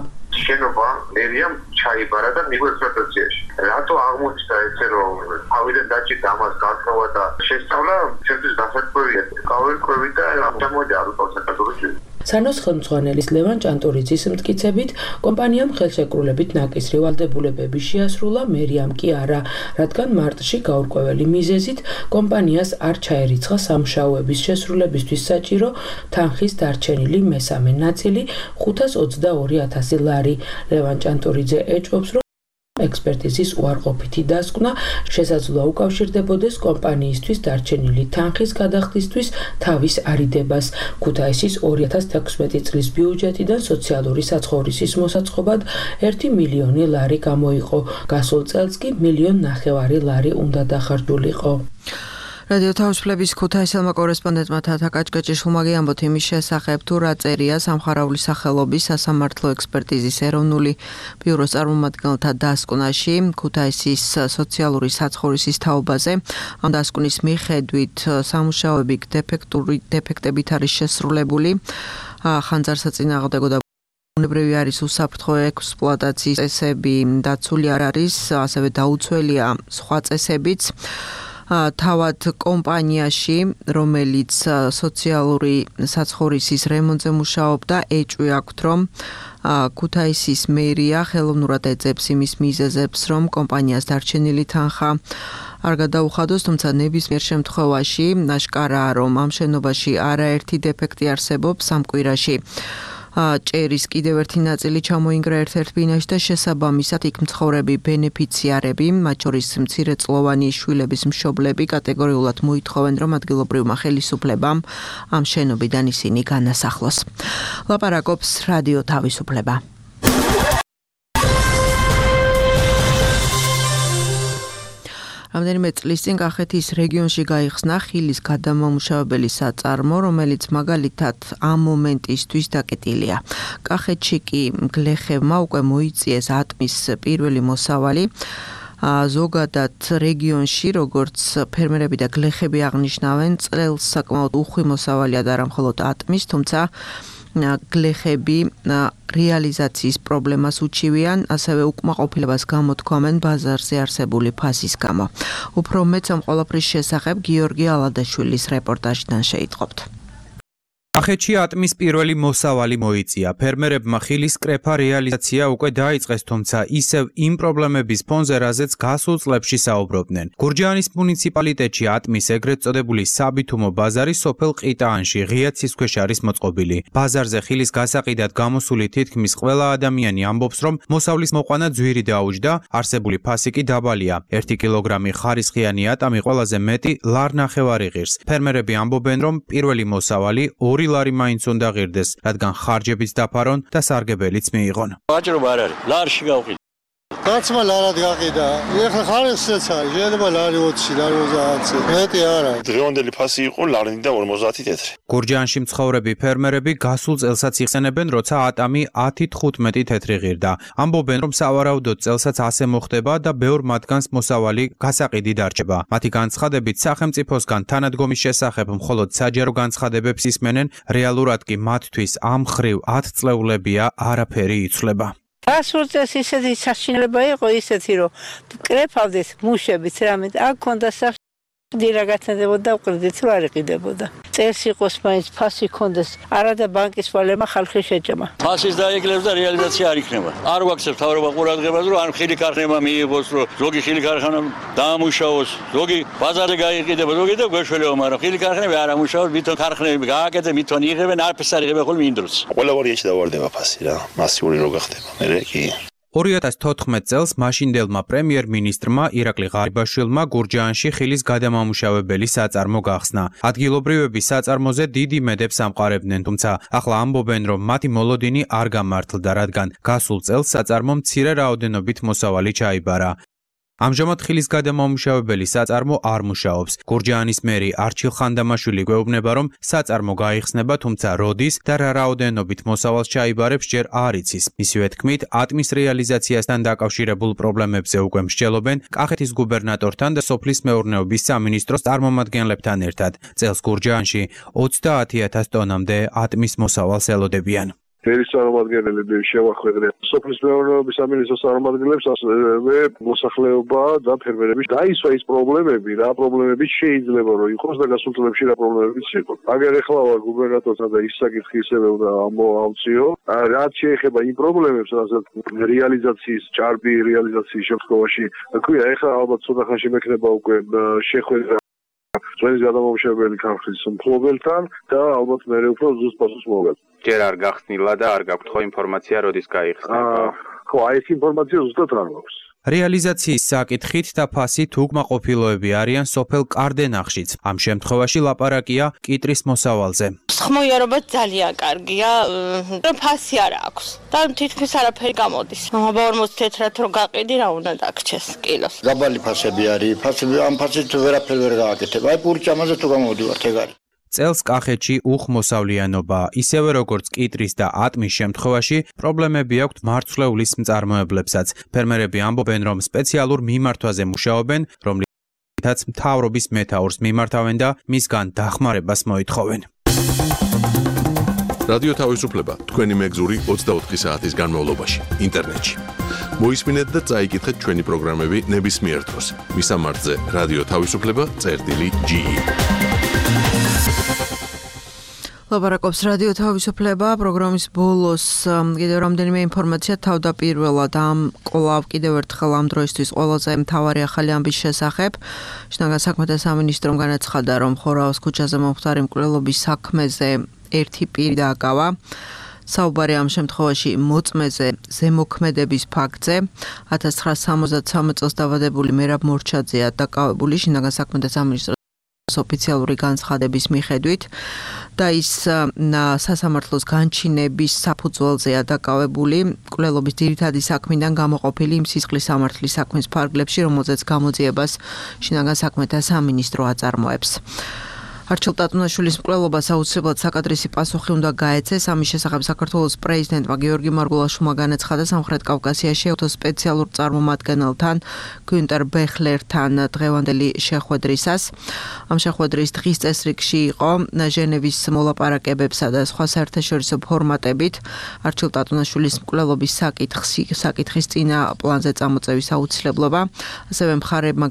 U: შენობა მერიამ ჩაიბარა და მიიღო ექსპლუატაციაში. რატო აღმოჩნდა ესე რომ თავიდან დაჭირდა ამას გასწავლა და შესწავლა ჩვენთვის დასაკვირია. გავერკვევი და ამჟამად არ ვიყავ საქართველოში.
R: სანოს ხელმძღვანელის ლევან ჭანტურიძის მტკიცებით, კომპანიამ ხელშეკრულებით ნაკისრი ვალდებულებები შეასრულა, მერიამ კი არა, რადგან მარტში გაურკვეველი მიზეზით კომპანიას არ ჩაერიცხა სამუშაოების შესრულებისთვის საჭირო თანხის დარჩენილი მესამე ნაწილი ხუთას ოცდაორი ათასი ლარი. ლევან ჭანტურიძე ეჭვობს, რომ ექსპერტიზის უარყოფითი დასკვნა შესაძლოა უკავშირდებოდეს კომპანიისთვის დარჩენილი თანხის გადახდისთვის თავის არიდებას. ქუთაისის ორი ათას თექვსმეტი წლის ბიუჯეტიდან სოციალური საცხოვრისის მოსაწყობად ერთი მილიონი ლარი გამოიყო. გასულ წელს კი მილიონ ნახევარი ლარი უნდა დახარჯულიყო.
B: რადიო თავისუფლების ქუთაისელმა კორესპონდენტმა თათა კაჭკაჭიშვილმა გიამბოთ იმის შესახებ, თუ რა წერია სამხარაულის სახელობის სასამართლო ექსპერტიზის ეროვნული ბიუროს წარმომადგენელთა დასკვნაში ქუთაისის სოციალური საცხოვრისის თაობაზე. ამ დასკვნის მიხედვით სამუშაოები დეფექტური დეფექტებით არის შესრულებული. ხანძარსაწინააღმდეგო და ბუნებრივი არის უსაფრთხო ექსპლუატაციის წესები დაცული არ არის, ასევე დაუცველია სხვა წესებიც. თავად კომპანიაში, რომელიც სოციალური საცხოვრისის რემონტზე მუშაობდა, ეჭვი აქვთ, რომ ქუთაისის მერია ხელოვნურად ეძებს იმის მიზეზებს, რომ კომპანიას დარჩენილი თანხა არ გადაუხადოს, თუმცა ნებისმიერ შემთხვევაში აშკარაა, რომ ამ შენობაში არაერთი დეფექტი არსებობს. სამ კვირაში ჭერის კიდევ ერთი ნაწილი ჩამოინგრა ერთ-ერთ ბინაში და შესაბამისად იქ მცხოვრები ბენეფიციარები, მათ შორის მცირეწლოვანი შვილების მშობლები კატეგორიულად მოითხოვენ, რომ ადგილობრივმა ხელისუფლებამ ამ შენობიდან ისინი განასახლოს. ლაპარაკობს რადიო თავისუფლება. რამდენიმე წლის წინ კახეთის რეგიონში გაიხსნა ხილის გადამამუშავებელი საწარმო, რომელიც მაგალითად ამ მომენტისთვის დაკეტილია. კახეთში კი გლეხებმა უკვე მოიწიეს ატმის პირველი მოსავალი. ზოგადად რეგიონში, როგორც ფერმერები და გლეხები აღნიშნავენ, წელს საკმაოდ უხვი მოსავალია და არა მხოლოდ ატმის, თუმცა გლეხები რეალიზაციის პრობლემას უჩივიან, ასევე უკმაყოფილებას გამოთქვამენ ბაზარზე არსებული ფასის გამო. უფრო მეც ამ ყველაფრის შესახებ გიორგი ალადაშვილის რეპორტაჟიდან შეიტყობთ.
V: კახეთში ატმის პირველი მოსავალი მოიწია. ფერმერებმა ხილის კრეფა რეალიზაცია უკვე დაიწყეს, თუმცა ისევ იმ პრობლემების ფონზე, რაზეც გასულ წლებში საუბრობდნენ. გურჯაანის მუნიციპალიტეტში ატმის ეგრეთ წოდებული საბითუმო ბაზარი სოფელ ყიტაანში ღია ცის ქვეშ არის მოწყობილი. ბაზარზე ხილის გასაყიდად გამოსული თითქმის ყველა ადამიანი ამბობს, რომ მოსავლის მოყვანა ძვირი დაუჯდა, არსებული ფასი კი დაბალია. ერთი კილოგრამი ხარისხიანი ატამი ყველაზე მეტი ლარ ნახევარი ღირს. ფერმერები ამბობენ, რომ პირველი მოსავალი ორი ლარი მაინც უნდა ღირდეს, რადგან ხარჯებიც დაფარონ და სარგებელიც მიიღონ.
E: ვაჭრობა არ არის, ლარში გავყიდე.
K: გაცმა ლარად გაყიდა. ეხლა ხარისხიც არის, შეიძლება ლარი ოცი, ლარი ოცდაათი. მეტი არ არის.
Q: დღევანდელი ფასი იყო ლარი და ორმოცდაათი თეთრი.
V: გურჯაანში მცხოვრები ფერმერები გასულ წელსაც იხსენებენ, როცა ატამი ათი თხუთმეტი თეთრი ღირდა. ამბობენ, რომ სავარაუდოდ წელსაც ასე მოხდება და ბევრ მათგანს მოსავალი გასაყიდი დარჩება. მათი განცხადებით, სახელმწიფოსგან თანადგომის შესახებ მხოლოდ საჯარო განცხადებებს ისმენენ, რეალურად კი მათთვის ამ ხრივ ათ წლეულებია არაფერი იცვლება.
W: გასულ წელს ისეთი საშინელება იყო ისეთი, რომ კრეფავდეს მუშებიც რამე, აქ ქონდა დირაგაცდებოდა და კრედიტს რა იყიდებოდა. წელს იყოს მაინც ფასი ქონდეს, არა და ბანკის ვალემა ხალხი შეჭამა.
E: ფასის დაეკლებს და რეალიზაცია არ იქნება. არ ვაქცევთ თავრობა ყურადღებას, რომ ან ხილი ქარხნება მიიღოს, რომ ზოგი ხილი ქარხანა დაამუშავოს, ზოგი ბაზარზე გაიყიდება, ზოგი და გვეშველება, მაგრამ ხილი ქარხნები არ ამუშავოს, მithon ქარხნები გააკეთე, მithon იღებენ, არაფერს არ იღებენ ხოლმე იმ დროს.
A: ყველა ვარიანტი დავარდება ფასი რა, მასიური რო გახდება. მე კი
V: ორი ათას თოთხმეტ წელს მაშინდელმა პრემიერ-მინისტრმა ირაკლი ღარიბაშვილმა გურჯაანში ხილის გადამამუშავებელი საწარმო გახსნა. ადგილობრივები საწარმოზე დიდი იმედებს ამყარებდნენ, თუმცა ახლა ამბობენ, რომ მათი მოლოდინი არ გამართლდა, რადგან გასულ წელს საწარმომ მცირე რაოდენობით მოსავალი ჩაიბარა. ამჟამად ხილის გადამამუშავებელი საწარმო არ მუშაობს. გურჯაანის მერი არჩილ ხანდამაშვილი გვეუბნება, რომ საწარმო გაიხსნება, თუმცა როდის და რა რაოდენობით მოსავალს ჩაიბარებს ჯერ არ იცის. მისივე თქმით, ატმის რეალიზაციასთან დაკავშირებულ პრობლემებზე უკვე მსჯელობენ კახეთის გუბერნატორთან და სოფლის მეურნეობის სამინისტროს წარმომადგენლებთან ერთად. წელს გურჯაანში ოცდაათი ათას ტონამდე ატმის მოსავალს ელოდებიან.
F: ფერის წარმომადგენლები შევახვედრენ სოფლის მეურნეობის სამინისტროს წარმომადგენლებს, ასევე მოსახლეობა და ფერმერები დაისვა ის პრობლემები, რა პრობლემები შეიძლება რომ იყოს და გასულ წლებში რა პრობლემებიც იყო. აგერ ეხლა ვარ გუბერნატორთან და ის საკითხი ისევე უნდა ამოვამციო. რაც შეეხება იმ პრობლემებს, რასაც რეალიზაციის ჭარბი რეალიზაციის შემთხვევაში ქვია, ეხლა ალბათ ცოტა ხანში მექნება უკვე შეხვედრა ჩვენი გადამამუშავებელი ქარხნის მფლობელთან და ალბათ მე უფრო ზუსტ პასუხს მოვაგებ.
G: ჯერ არ გახსნილა და არ გაქვთ ხო ინფორმაცია როდის გაიხსნება?
F: ხო, აი ეს ინფორმაცია ზუსტად არ მაქვს.
V: რეალიზაციის საკითხით და ფასით უკმაყოფილოები არიან სოფელ კარდენახშიც. ამ შემთხვევაში ლაპარაკია კიტრის მოსავალზე.
X: ხმოიარობა ძალიან კარგია, რომ ფასი არ აქვს და თითქმის არაფერი გამოდის. ორმოცდაათი თეთრად რო გაყიდი, რა უნდა დაგრჩეს კილოს.
Y: დაბალი ფასები არის, ფასები ამ ფასით ვერაფერ ვერ გააკეთებ. აი პურჭამაზე თუ გამოვდივართ, ეგ არის.
V: წელს კახეთში უხმოსავლიანობა, ისევე როგორც კიტრის და ატმის შემთხვევაში, პრობლემები აქვთ მარცვლეულის მწარმოებლებსაც. ფერმერები ამბობენ, რომ სპეციალურ მიმართვაზე მუშაობენ, რომლითაც მთავრობის მეთაურს მიმართავენ და მისგან დახმარებას მოითხოვენ.
Z: რადიო თავისუფლება თქვენი მეგზური ოცდაოთხი საათის განმავლობაში ინტერნეტში. მოისმინეთ და წაიკითხეთ ჩვენი პროგრამები ნებისმიერ დროს. მისამართზე რადიო თავისუფლება წერტილი ჯი ი.
B: ლაპარაკობს რადიო თავისუფლება პროგრამის ბოლოს კიდევ რამდენიმე ინფორმაცია თავდაპირველად ამ კვლავ კიდევ ერთხელ ამ დროისთვის ყველაზე მთავარი ახალი ამბის შესახებ. შინაგან საქმეთა სამინისტრომ განაცხადა, რომ ხორაოს ქუჩაზე მომხდარი მკვლელობის საქმეზე ერთი პირი დააკავა. საუბარი ამ შემთხვევაში მოწმეზე ზემოქმედების ფაქტზე. ათას ცხრაასა სამოცდათვრამეტ წელს დაბადებული მერაბ მორჩაძეა დაკავებული შინაგან საქმეთა სამინისტროს ოფიციალური განცხადების მიხედვით და ის სასამართლოს განჩინების საფუძველზეა დაკავებული მკვლელობის ძირითადი საქმიდან გამოყოფილი იმ სისხლის სამართლის საქმის ფარგლებში, რომელზეც გამოძიებას შინაგან საქმეთა სამინისტრო აწარმოებს. არჩილ ტატუნაშვილის მკვლელობას აუცილებლად საკადრისი პასუხი უნდა გაეცეს. ამის შესახებ საქართველოს პრეზიდენტმა გიორგი მარგულაშვილმა განაცხადა სამხრეთ კავკასიაში სპეციალურ წარმომადგენელთან გუნტერ ბეხლერთან დღევანდელი შეხვედრისას. ამ შეხვედრის დღის წესრიგში იყო ჟენევის მოლაპარაკებებსა და სხვა საერთაშორისო ფორმატებით არჩილ ტატუნაშვილის მკვლელობის საკითხის წინა პლანზე წამოწევის აუცილებლობა. ასევე მხარეებმა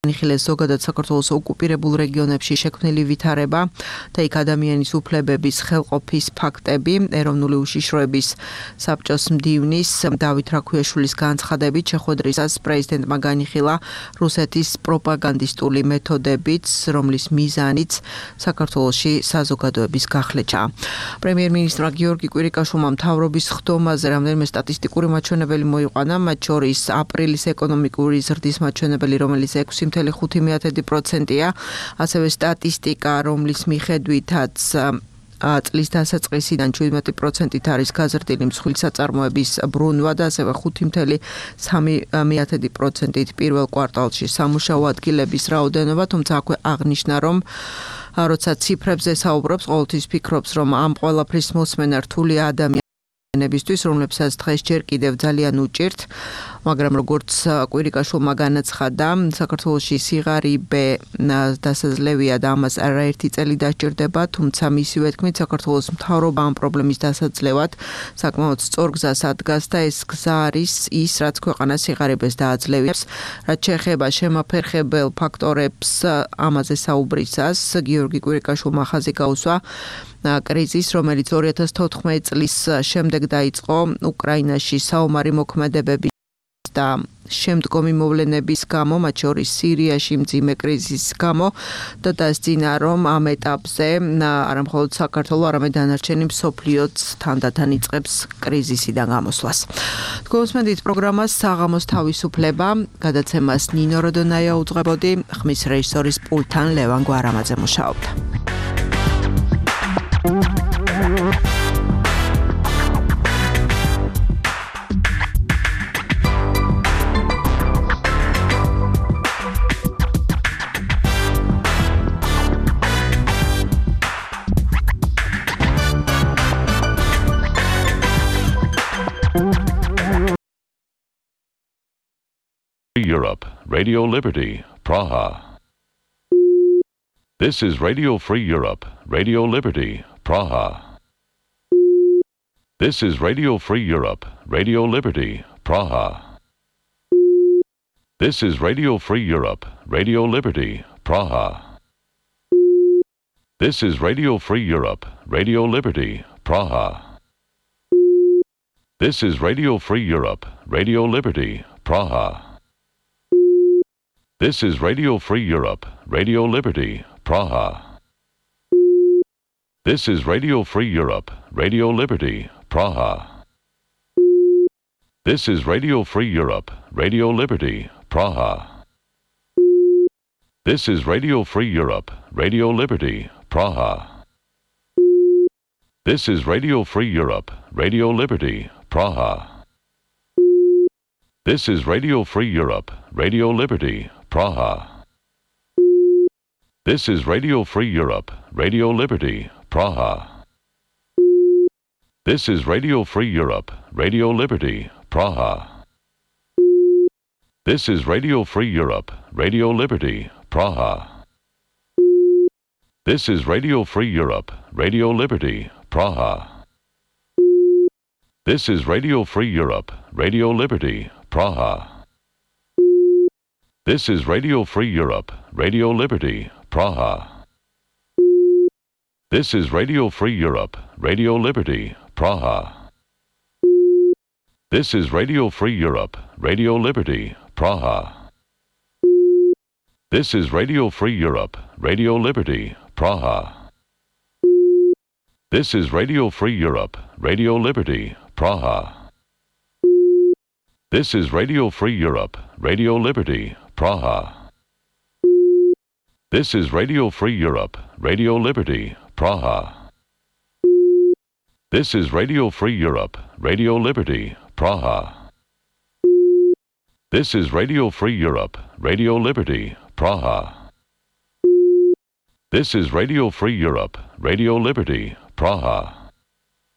B: განიხილეს ზოგადად საქართველოს ოკუპირებულ რეგიონებში შექმნილი ვითარება და იქ ადამიანის უფლებების ხელყოფის ფაქტები. ეროვნული უშიშროების საბჭოს მდივნის დავით რაქვიაშვილის განცხადებით შეხვედრისას პრეზიდენტმა განიხილა რუსეთის პროპაგანდისტული მეთოდებიც, რომლის მიზანიც საქართველოში საზოგადოების გახლეჩა. პრემიერ-მინისტრმა გიორგი კვირიკაშვილმა მთავრობის ხდომაზე რამდენიმე სტატისტიკური მაჩვენებელი მოიყვანა, მათ შორის აპრილის ეკონომიკური ზრდის მაჩვენებელი, რომელიც ექვსი მთელი ხუთი პროცენტია, ასევე სტატისტიკა, რომლის მიხედვითაც წლის დასაწყისიდან შვიდმეტი პროცენტით არის გაზრდილი მსხვილ საწარმოების ბრუნვა და ასევე ხუთი მთელი სამი პროცენტით პირველ კვარტალში სამუშაო ადგილების რაოდენობა, თუმცა აქვე აღნიშნა, რომ როცა ციფრებზე საუბრობს, ყოველთვის ფიქრობს, რომ ამ ყველაფრის მოსმენა რთული ადამიანებისთვის, რომლებსაც დღეს ჯერ კიდევ ძალიან უჭირთ. მაგრამ როგორც კვირიკაშვილმა განაცხადა, საქართველოში სიღარიბე დასაძლევია და ამას არაერთი წელი დაჭირდება, თუმცა მისივე თქმით, საქართველოს მთავრობა ამ პრობლემის დასაძლევად საკმაოდ სწორ გზას ადგას და ეს გზა არის ის, რაც ქვეყანას სიღარიბეს დააძლევებს. რაც შეეხება შემაფერხებელ ფაქტორებს, ამაზე საუბრისას გიორგი კვირიკაშვილმა ხაზი გაუსვა კრიზის, რომელიც ორი ათას თოთხმეტი წლის შემდეგ დაიწყო უკრაინაში საომარი მოქმედებების და შემდგომი მოვლენების გამო, მათ შორის სირიაში მძიმე კრიზისის გამო და დასძინა, რომ ამ ეტაპზე არა მხოლოდ საქართველო, არამედ დანარჩენი მსოფლიოც თანდათან იწყებს კრიზისიდან გამოსვლას. გულისხმობთ პროგრამას საღამოს თავისუფლება, გადაცემას ნინო როდონაია უძღვებოდი, ხმის რეჟისორის პულტთან ლევან გვარამაძე მუშაობდა.
H: Europe, Radio Liberty, Praha. This is Radio Free Europe, Radio Liberty, Praha. This is Radio Free Europe, Radio Liberty, Praha. This is Radio Free Europe, Radio Liberty, Praha. This is Radio Free Europe, Radio Liberty, Praha. This is Radio Free Europe, Radio Liberty, Praha. This is Radio Free Europe, Radio Liberty, Praha. This is Radio Free Europe, Radio Liberty, Praha. This is Radio Free Europe, Radio Liberty, Praha. This is Radio Free Europe, Radio Liberty, Praha. This is Radio Free Europe, Radio Liberty, Praha. This is Radio Free Europe, Radio Liberty, Praha. This is Radio Free Europe, Radio Liberty, Praha. This is Radio Free Europe, Radio Liberty, Praha. This is Radio Free Europe, Radio Liberty, Praha. This is Radio Free Europe, Radio Liberty, Praha. This is Radio Free Europe, Radio Liberty, Praha. This is Radio Free Europe, Radio Liberty, Praha. This is Radio Free Europe, Radio Liberty, Praha. This is Radio Free Europe, Radio Liberty, Praha. This is Radio Free Europe, Radio Liberty, Praha. This is Radio Free Europe, Radio Liberty, Praha. This is Radio Free Europe, Radio Liberty, Praha. This is Radio Free Europe, Radio Liberty, Praha. This is Radio Free Europe, Radio Liberty, Praha. This is Radio Free Europe, Radio Liberty, Praha.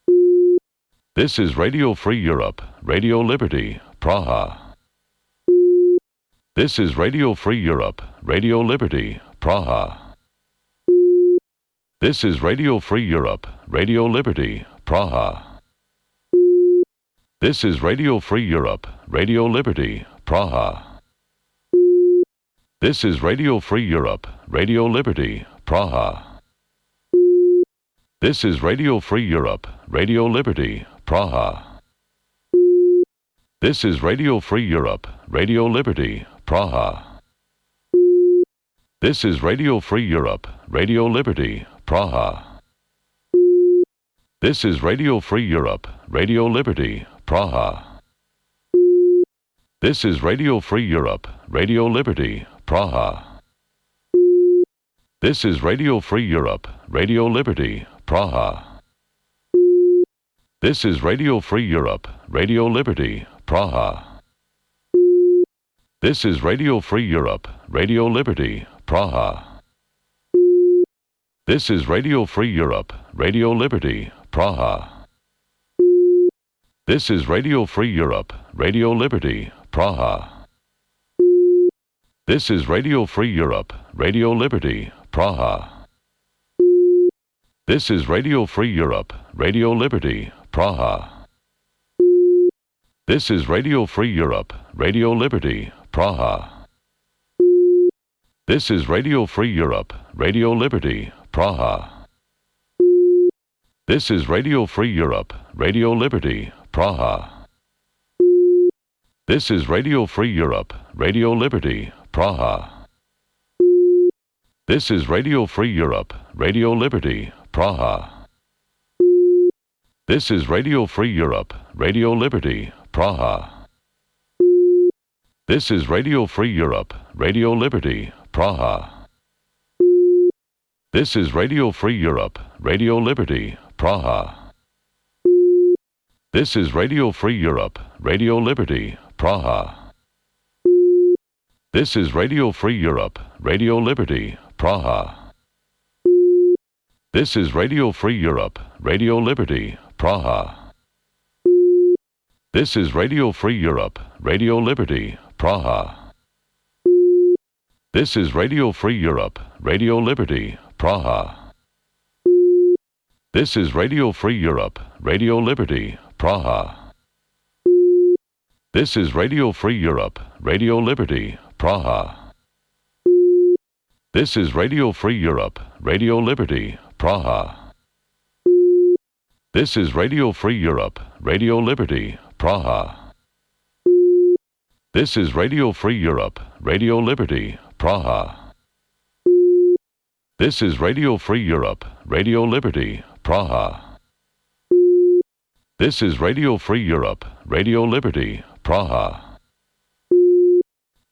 H: This is Radio Free Europe, Radio Liberty, Praha. This is Radio Free Europe, Radio Liberty, Praha. This is Radio Free Europe, Radio Liberty, Praha. This is Radio Free Europe, Radio Liberty, Praha. This is Radio Free Europe, Radio Liberty, Praha. This is Radio Free Europe, Radio Liberty, Praha. This is Radio Free Europe, Radio Liberty, Praha. This is Radio Free Europe, Radio Liberty, Praha. This is Radio Free Europe, Radio Liberty, Praha. This is Radio Free Europe, Radio Liberty, Praha. This is Radio Free Europe, Radio Liberty, Praha. This is Radio Free Europe, Radio Liberty, Praha. This is Radio Free Europe, Radio Liberty, Praha. This is Radio Free Europe, Radio Liberty, Praha. This is Radio Free Europe, Radio Liberty, Praha. This is Radio Free Europe, Radio Liberty, Praha. This is Radio Free Europe, Radio Liberty, Praha. This is Radio Free Europe, Radio Liberty, Praha. This is Radio Free Europe, Radio Liberty, Praha. This is Radio Free Europe, Radio Liberty, Praha. This is Radio Free Europe, Radio Liberty, Praha. This is Radio Free Europe, Radio Liberty, Praha. This is Radio Free Europe, Radio Liberty, Praha. This is Radio Free Europe, Radio Liberty, Praha. This is Radio Free Europe, Radio Liberty, Praha. This is Radio Free Europe, Radio Liberty, Praha. This is Radio Free Europe, Radio Liberty, Praha. This is Radio Free Europe, Radio Liberty, Praha. This is Radio Free Europe, Radio Liberty, Praha. This is Radio Free Europe, Radio Liberty, Praha. This is Radio Free Europe, Radio Liberty, Praha. This is Radio Free Europe, Radio Liberty, Praha. This is Radio Free Europe, Radio Liberty, Praha. This is Radio Free Europe, Radio Liberty, Praha. This is Radio Free Europe, Radio Liberty, Praha. This is Radio Free Europe, Radio Liberty, Praha. This is Radio Free Europe, Radio Liberty, Praha. This is Radio Free Europe, Radio Liberty, Praha.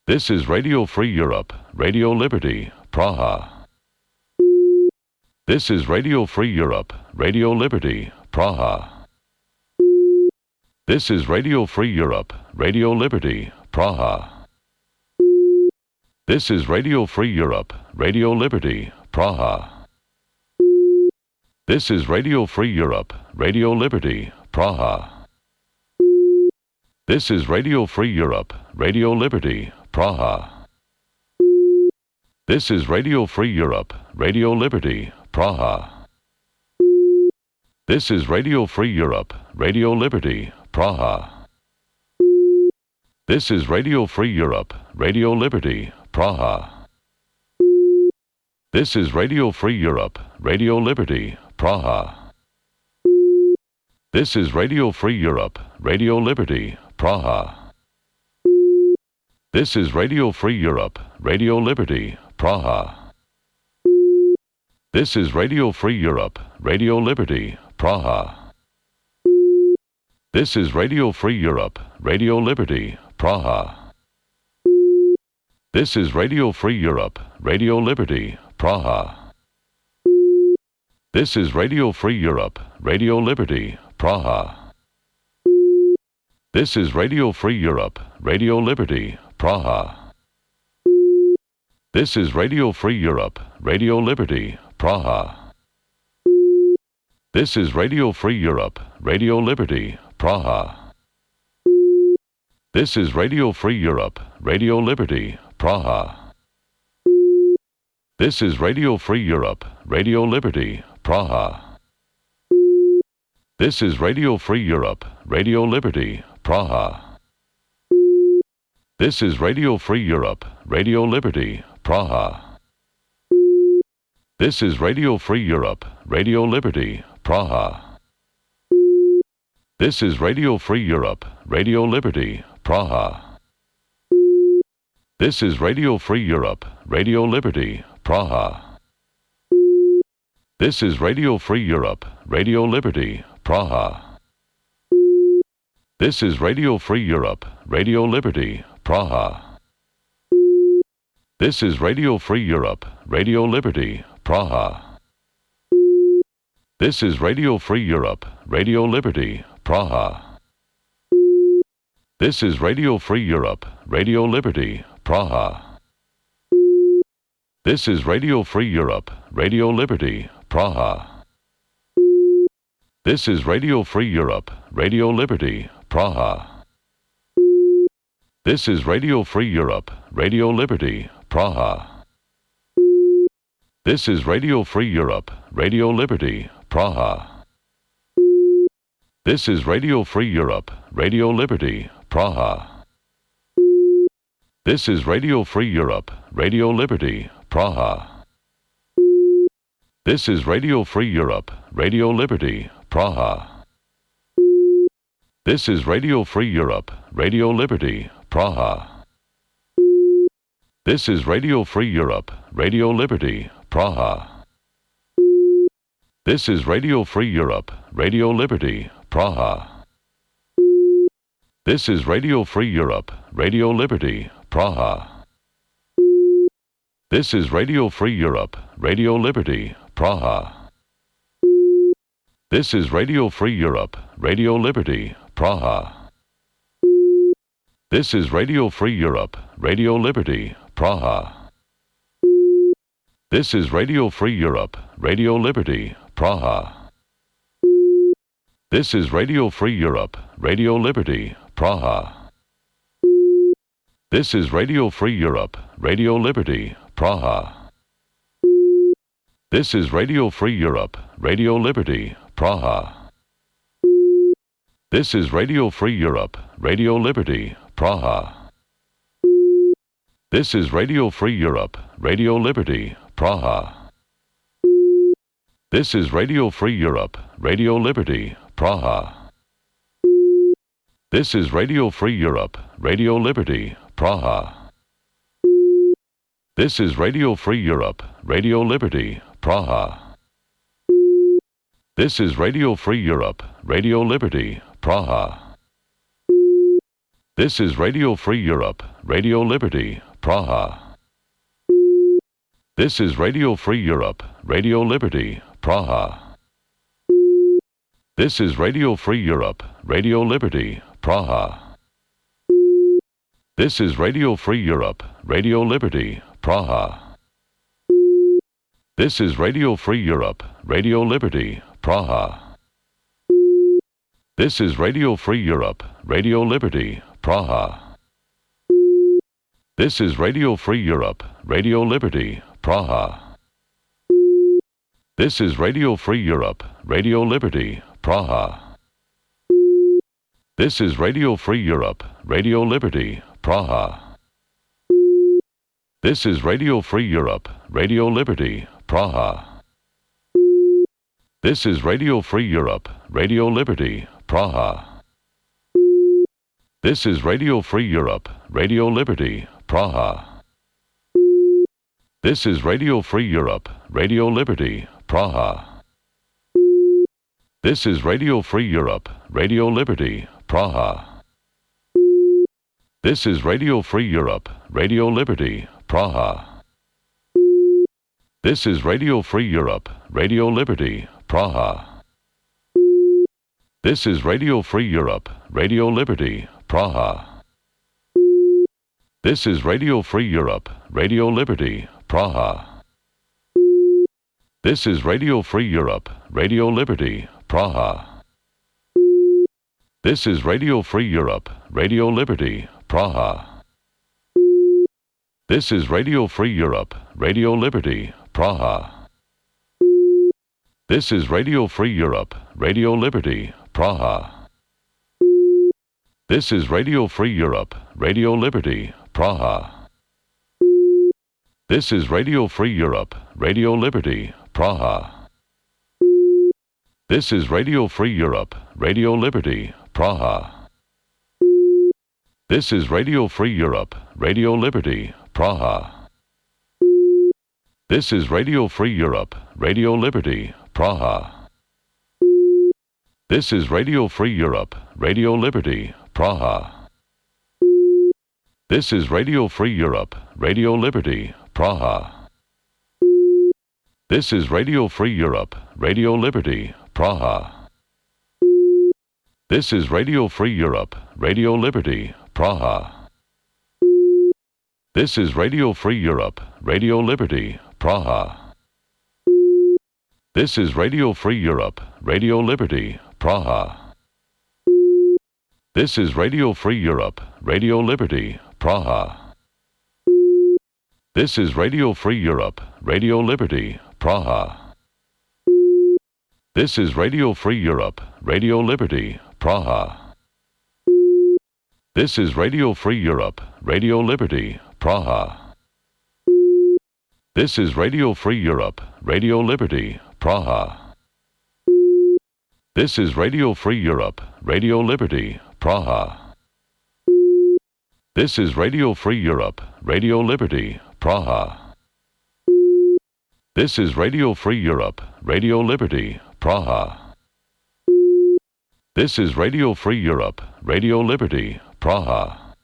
H: This is Radio Free Europe, Radio Liberty, Praha. This is Radio Free Europe, Radio Liberty, Praha. This is Radio Free Europe, Radio Liberty, Praha. This is Radio Free Europe, Radio Liberty, Praha. This is Radio Free Europe, Radio Liberty, Praha. This is Radio Free Europe, Radio Liberty, Praha. This is Radio Free Europe, Radio Liberty, Praha. This is Radio Free Europe, Radio Liberty, Praha. This is Radio Free Europe, Radio Liberty, Praha. This is Radio Free Europe, Radio Liberty, Praha. This is Radio Free Europe, Radio Liberty, Praha. This is Radio Free Europe, Radio Liberty, Praha. This is Radio Free Europe, Radio Liberty, Praha. This is Radio Free Europe, Radio Liberty, Praha. This is Radio Free Europe, Radio Liberty, Praha. This is Radio Free Europe, Radio Liberty, Praha. This is Radio Free Europe, Radio Liberty, Praha. This is Radio Free Europe, Radio Liberty, Praha. This is Radio Free Europe, Radio Liberty, Praha. This is Radio Free Europe, Radio Liberty, Praha. This is Radio Free Europe, Radio Liberty, Praha. This is Radio Free Europe, Radio Liberty, Praha. This is Radio Free Europe, Radio Liberty, Praha. This is Radio Free Europe, Radio Liberty, Praha. This is Radio Free Europe, Radio Liberty, Praha. This is Radio Free Europe, Radio Liberty, Praha. This is Radio Free Europe, Radio Liberty, Praha. This is Radio Free Europe, Radio Liberty, Praha. This is Radio Free Europe, Radio Liberty, Praha. This is Radio Free Europe, Radio Liberty, Praha. This is Radio Free Europe, Radio Liberty, Praha. This is Radio Free Europe, Radio Liberty, Praha. This is Radio Free Europe, Radio Liberty, Praha. This is Radio Free Europe, Radio Liberty, Praha. This is Radio Free Europe, Radio Liberty, Praha. This is Radio Free Europe, Radio Liberty, Praha. This is Radio Free Europe, Radio Liberty, Praha. This is Radio Free Europe, Radio Liberty, Praha. This is Radio Free Europe, Radio Liberty, Praha. This is Radio Free Europe, Radio Liberty, Praha. This is Radio Free Europe, Radio Liberty, Praha. This is Radio Free Europe, Radio Liberty, Praha. This is Radio Free Europe, Radio Liberty, Praha. This is Radio Free Europe, Radio Liberty, Praha. This is Radio Free Europe, Radio Liberty, Praha. This is Radio Free Europe, Radio Liberty, Praha. This is Radio Free Europe, Radio Liberty, Praha. This is Radio Free Europe, Radio Liberty, Praha. This is Radio Free Europe, Radio Liberty, Praha. This is Radio Free Europe, Radio Liberty, Praha. This is Radio Free Europe, Radio Liberty, Praha. This is Radio Free Europe, Radio Liberty, Praha. This is Radio Free Europe, Radio Liberty, Praha. This is Radio Free Europe, Radio Liberty, Praha. This is Radio Free Europe, Radio Liberty, Praha. This is Radio Free Europe, Radio Liberty, Praha. This is Radio Free Europe, Radio Liberty, Praha. This is Radio Free Europe, Radio Liberty, Praha. This is Radio Free Europe, Radio Liberty, Praha. This is Radio Free Europe, Radio Liberty, Praha. This is Radio Free Europe, Radio Liberty, Praha. This is Radio Free Europe, Radio Liberty, Praha. This is Radio Free Europe, Radio Liberty, Praha. This is Radio Free Europe, Radio Liberty, Praha. This is Radio Free Europe, Radio Liberty, Praha. This is Radio Free Europe, Radio Liberty, Praha. This is Radio Free Europe, Radio Liberty, Praha. This is Radio Free Europe, Radio Liberty, Praha. This is Radio Free Europe, Radio Liberty, Praha. This is Radio Free Europe, Radio Liberty, Praha. This is Radio Free Europe, Radio Liberty, Praha. This is Radio Free Europe, Radio Liberty, Praha. This is Radio Free Europe, Radio Liberty, Praha. This is Radio Free Europe, Radio Liberty, Praha. This is Radio Free Europe, Radio Liberty, Praha. This is Radio Free Europe, Radio Liberty, Praha. This is Radio Free Europe, Radio Liberty, Praha. This is Radio Free Europe, Radio Liberty, Praha. This is Radio Free Europe, Radio Liberty, Praha. This is Radio Free Europe, Radio Liberty, Praha. This is Radio Free Europe, Radio Liberty, Praha. This is Radio Free Europe, Radio Liberty, Praha. This is Radio Free Europe, Radio Liberty, Praha. This is Radio Free Europe, Radio Liberty, Praha. This is Radio Free Europe, Radio Liberty, Praha. This is Radio Free Europe, Radio Liberty, Praha. This is Radio Free Europe, Radio Liberty, Praha. This is Radio Free Europe, Radio Liberty, Praha. This is Radio Free Europe, Radio Liberty, Praha. This is Radio Free Europe, Radio Liberty, Praha. This is Radio Free Europe, Radio Liberty, Praha. This is Radio Free Europe, Radio Liberty, Praha. This is Radio Free Europe, Radio Liberty, Praha. This is Radio Free Europe, Radio Liberty, Praha. This is Radio Free Europe, Radio Liberty, Praha. This is Radio Free Europe, Radio Liberty, Praha. This is Radio Free Europe, Radio Liberty, Praha.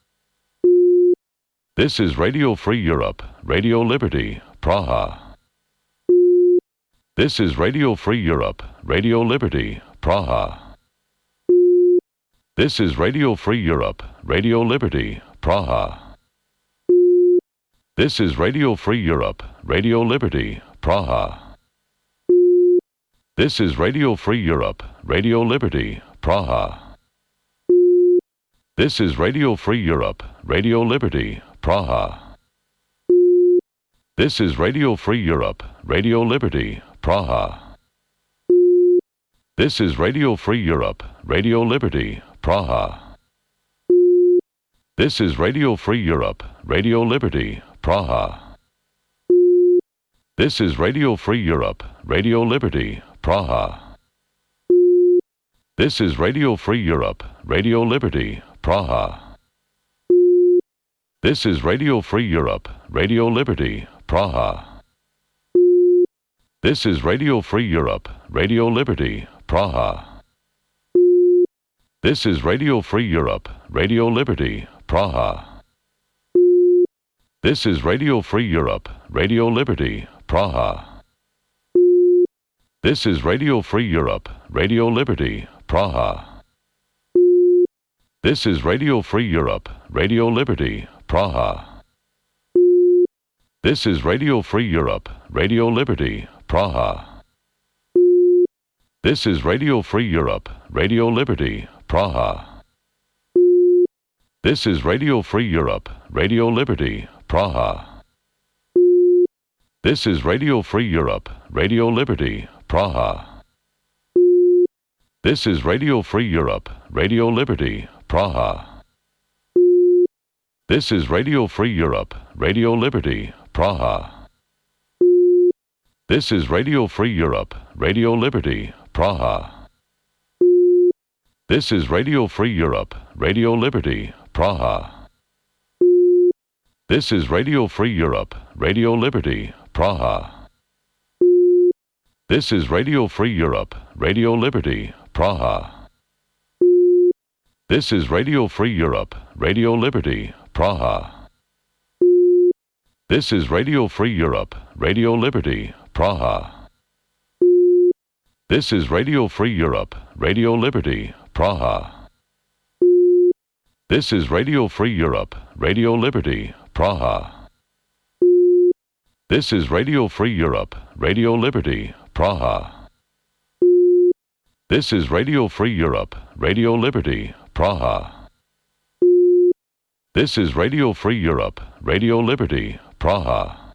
H: This is Radio Free Europe, Radio Liberty, Praha. This is Radio Free Europe, Radio Liberty, Praha. This is Radio Free Europe, Radio Liberty, Praha. This is Radio Free Europe, Radio Liberty, Praha. This is Radio Free Europe, Radio Liberty, Praha. This is Radio Free Europe, Radio Liberty, Praha. This is Radio Free Europe, Radio Liberty, Praha. This is Radio Free Europe, Radio Liberty, Praha. This is Radio Free Europe, Radio Liberty, Praha. This is Radio Free Europe, Radio Liberty, Praha. This is Radio Free Europe, Radio Liberty, Praha. This is Radio Free Europe, Radio Liberty, Praha. This is Radio Free Europe, Radio Liberty, Praha. This is Radio Free Europe, Radio Liberty, Praha. This is Radio Free Europe, Radio Liberty, Praha. This is Radio Free Europe, Radio Liberty, Praha. This is Radio Free Europe, Radio Liberty, Praha. This is Radio Free Europe, Radio Liberty, Praha. This is Radio Free Europe, Radio Liberty, Praha. This is Radio Free Europe, Radio Liberty, Praha. This is Radio Free Europe, Radio Liberty, Praha. This is Radio Free Europe, Radio Liberty, Praha. This is Radio Free Europe, Radio Liberty, Praha. This is Radio Free Europe, Radio Liberty, Praha. This is Radio Free Europe, Radio Liberty, Praha. This is Radio Free Europe, Radio Liberty, Praha. This is Radio Free Europe, Radio Liberty, Praha. This is Radio Free Europe, Radio Liberty, Praha. This is Radio Free Europe, Radio Liberty, Praha. This is Radio Free Europe, Radio Liberty, Praha. This is Radio Free Europe, Radio Liberty, Praha. This is Radio Free Europe, Radio Liberty, Praha. This is Radio Free Europe, Radio Liberty, Praha. This is Radio Free Europe, Radio Liberty, Praha.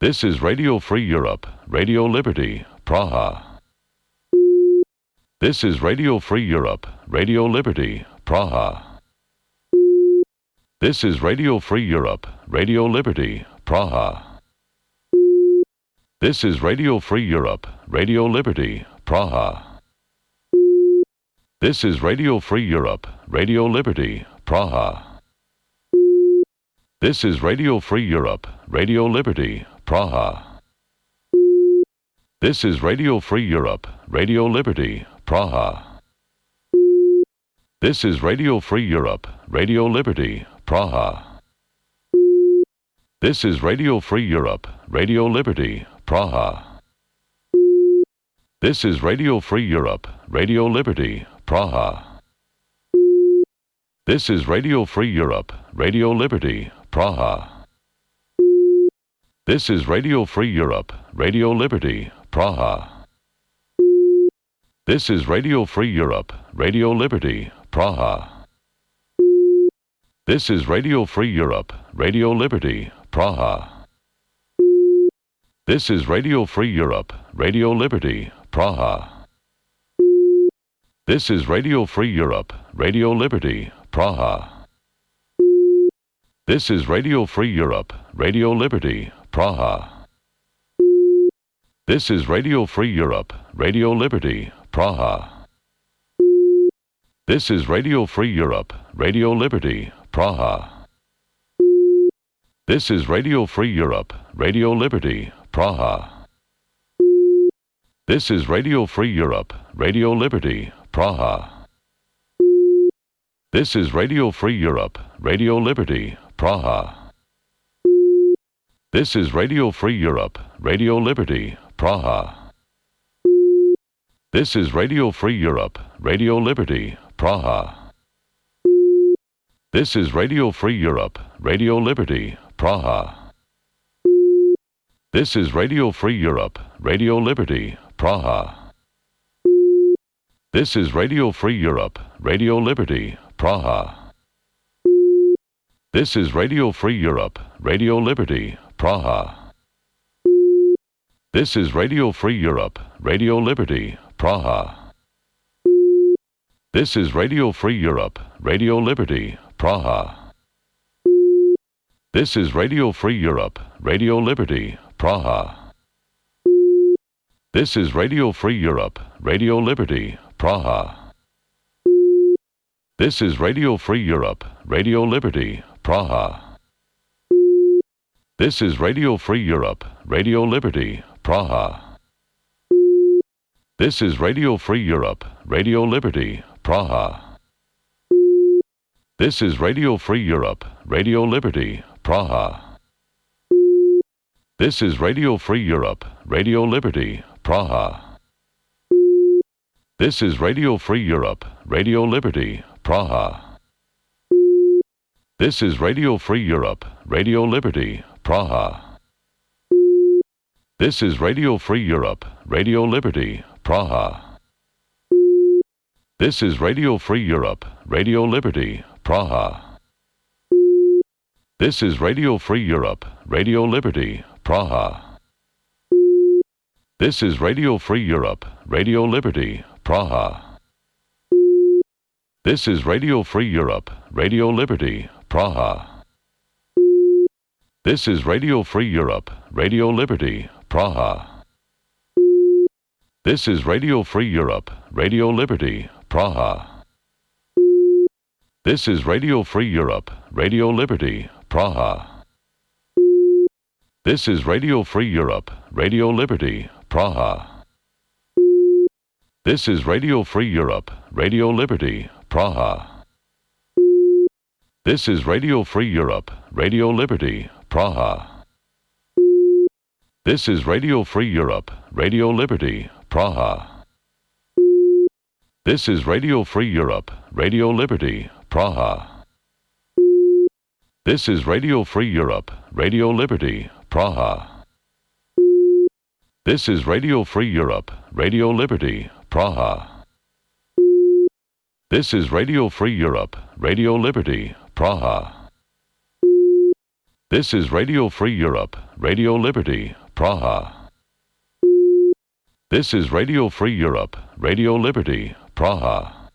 H: This is Radio Free Europe, Radio Liberty, Praha. This is Radio Free Europe, Radio Liberty, Praha. This is Radio Free Europe, Radio Liberty, Praha. This is Radio Free Europe, Radio Liberty, Praha. This is Radio Free Europe, Radio Liberty, Praha. This is Radio Free Europe, Radio Liberty, Praha. This is Radio Free Europe, Radio Liberty, Praha. This is Radio Free Europe, Radio Liberty, Praha. This is Radio Free Europe, Radio Liberty, Praha. This is Radio Free Europe, Radio Liberty, Praha. This is Radio Free Europe, Radio Liberty, Praha. This is Radio Free Europe, Radio Liberty, Praha. This is Radio Free Europe, Radio Liberty, Praha. This is Radio Free Europe, Radio Liberty, Praha. This is Radio Free Europe, Radio Liberty, Praha. This is Radio Free Europe, Radio Liberty, Praha. This is Radio Free Europe, Radio Liberty, Praha. This is Radio Free Europe, Radio Liberty, Praha. This is Radio Free Europe, Radio Liberty, Praha. This is Radio Free Europe, Radio Liberty, Praha. This is Radio Free Europe, Radio Liberty, Praha. This is Radio Free Europe, Radio Liberty, Praha. This is Radio Free Europe, Radio Liberty, Praha. This is Radio Free Europe, Radio Liberty, Praha. This is Radio Free Europe, Radio Liberty, Praha. This is Radio Free Europe, Radio Liberty, Praha. This is Radio Free Europe, Radio Liberty, Praha. This is Radio Free Europe, Radio Liberty, Praha. This is Radio Free Europe, Radio Liberty, Praha. This is Radio Free Europe, Radio Liberty, Praha. This is Radio Free Europe, Radio Liberty, Praha. This is Radio Free Europe, Radio Liberty, Praha. This is Radio Free Europe, Radio Liberty, Praha. This is Radio Free Europe, Radio Liberty, Praha. This is Radio Free Europe, Radio Liberty, Praha. This is Radio Free Europe, Radio Liberty, Praha. This is Radio Free Europe, Radio Liberty, Praha. This is Radio Free Europe, Radio Liberty, Praha. This is Radio Free Europe, Radio Liberty, Praha. This is Radio Free Europe, Radio Liberty, Praha. This is Radio Free Europe, Radio Liberty, Praha. This is Radio Free Europe, Radio Liberty, Praha. This is Radio Free Europe, Radio Liberty, Praha. This is Radio Free Europe, Radio Liberty, Praha. This is Radio Free Europe, Radio Liberty, Praha. This is Radio Free Europe, Radio Liberty, Praha. This is Radio Free Europe, Radio Liberty, Praha. This is Radio Free Europe, Radio Liberty, Praha. This is Radio Free Europe, Radio Liberty, Praha. This is Radio Free Europe, Radio Liberty, Praha. This is Radio Free Europe, Radio Liberty, Praha. This is Radio Free Europe, Radio Liberty, Praha. This is Radio Free Europe, Radio Liberty, Praha. This is Radio Free Europe, Radio Liberty, Praha. This is Radio Free Europe, Radio Liberty, Praha. This is Radio Free Europe, Radio Liberty, Praha. This is Radio Free Europe, Radio Liberty, Praha.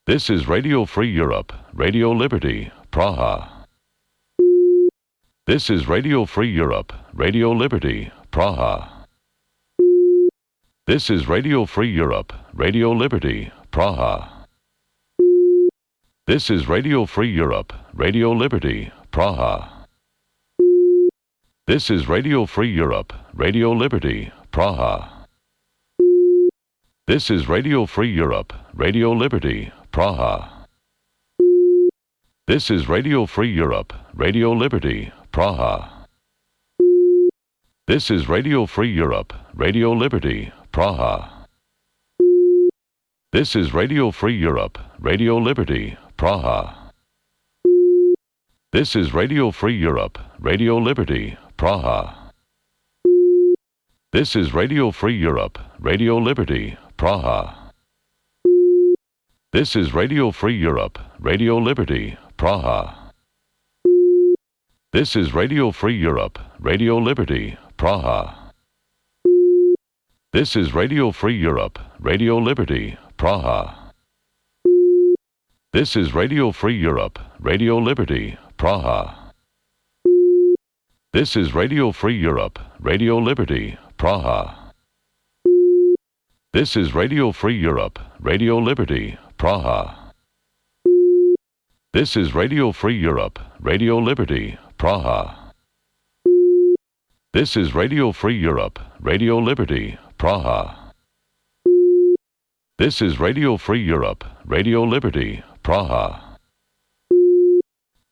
H: This is Radio Free Europe, Radio Liberty, Praha. This is Radio Free Europe, Radio Liberty, Praha. This is Radio Free Europe, Radio Liberty, Praha. This is Radio Free Europe, Radio Liberty, Praha. This is Radio Free Europe, Radio Liberty, Praha. This is Radio Free Europe, Radio Liberty, Praha. This is Radio Free Europe, Radio Liberty, Praha. This is Radio Free Europe, Radio Liberty, Praha. This is Radio Free Europe, Radio Liberty, Praha. This is Radio Free Europe, Radio Liberty, Praha. This is Radio Free Europe, Radio Liberty, Praha. This is Radio Free Europe, Radio Liberty, Praha. This is Radio Free Europe, Radio Liberty, Praha. This is Radio Free Europe, Radio Liberty, Praha. This is Radio Free Europe, Radio Liberty, Praha. This is Radio Free Europe, Radio Liberty, Praha. This is Radio Free Europe, Radio Liberty, Praha. This is Radio Free Europe, Radio Liberty, Praha. This is Radio Free Europe, Radio Liberty, Praha. This is Radio Free Europe, Radio Liberty, Praha.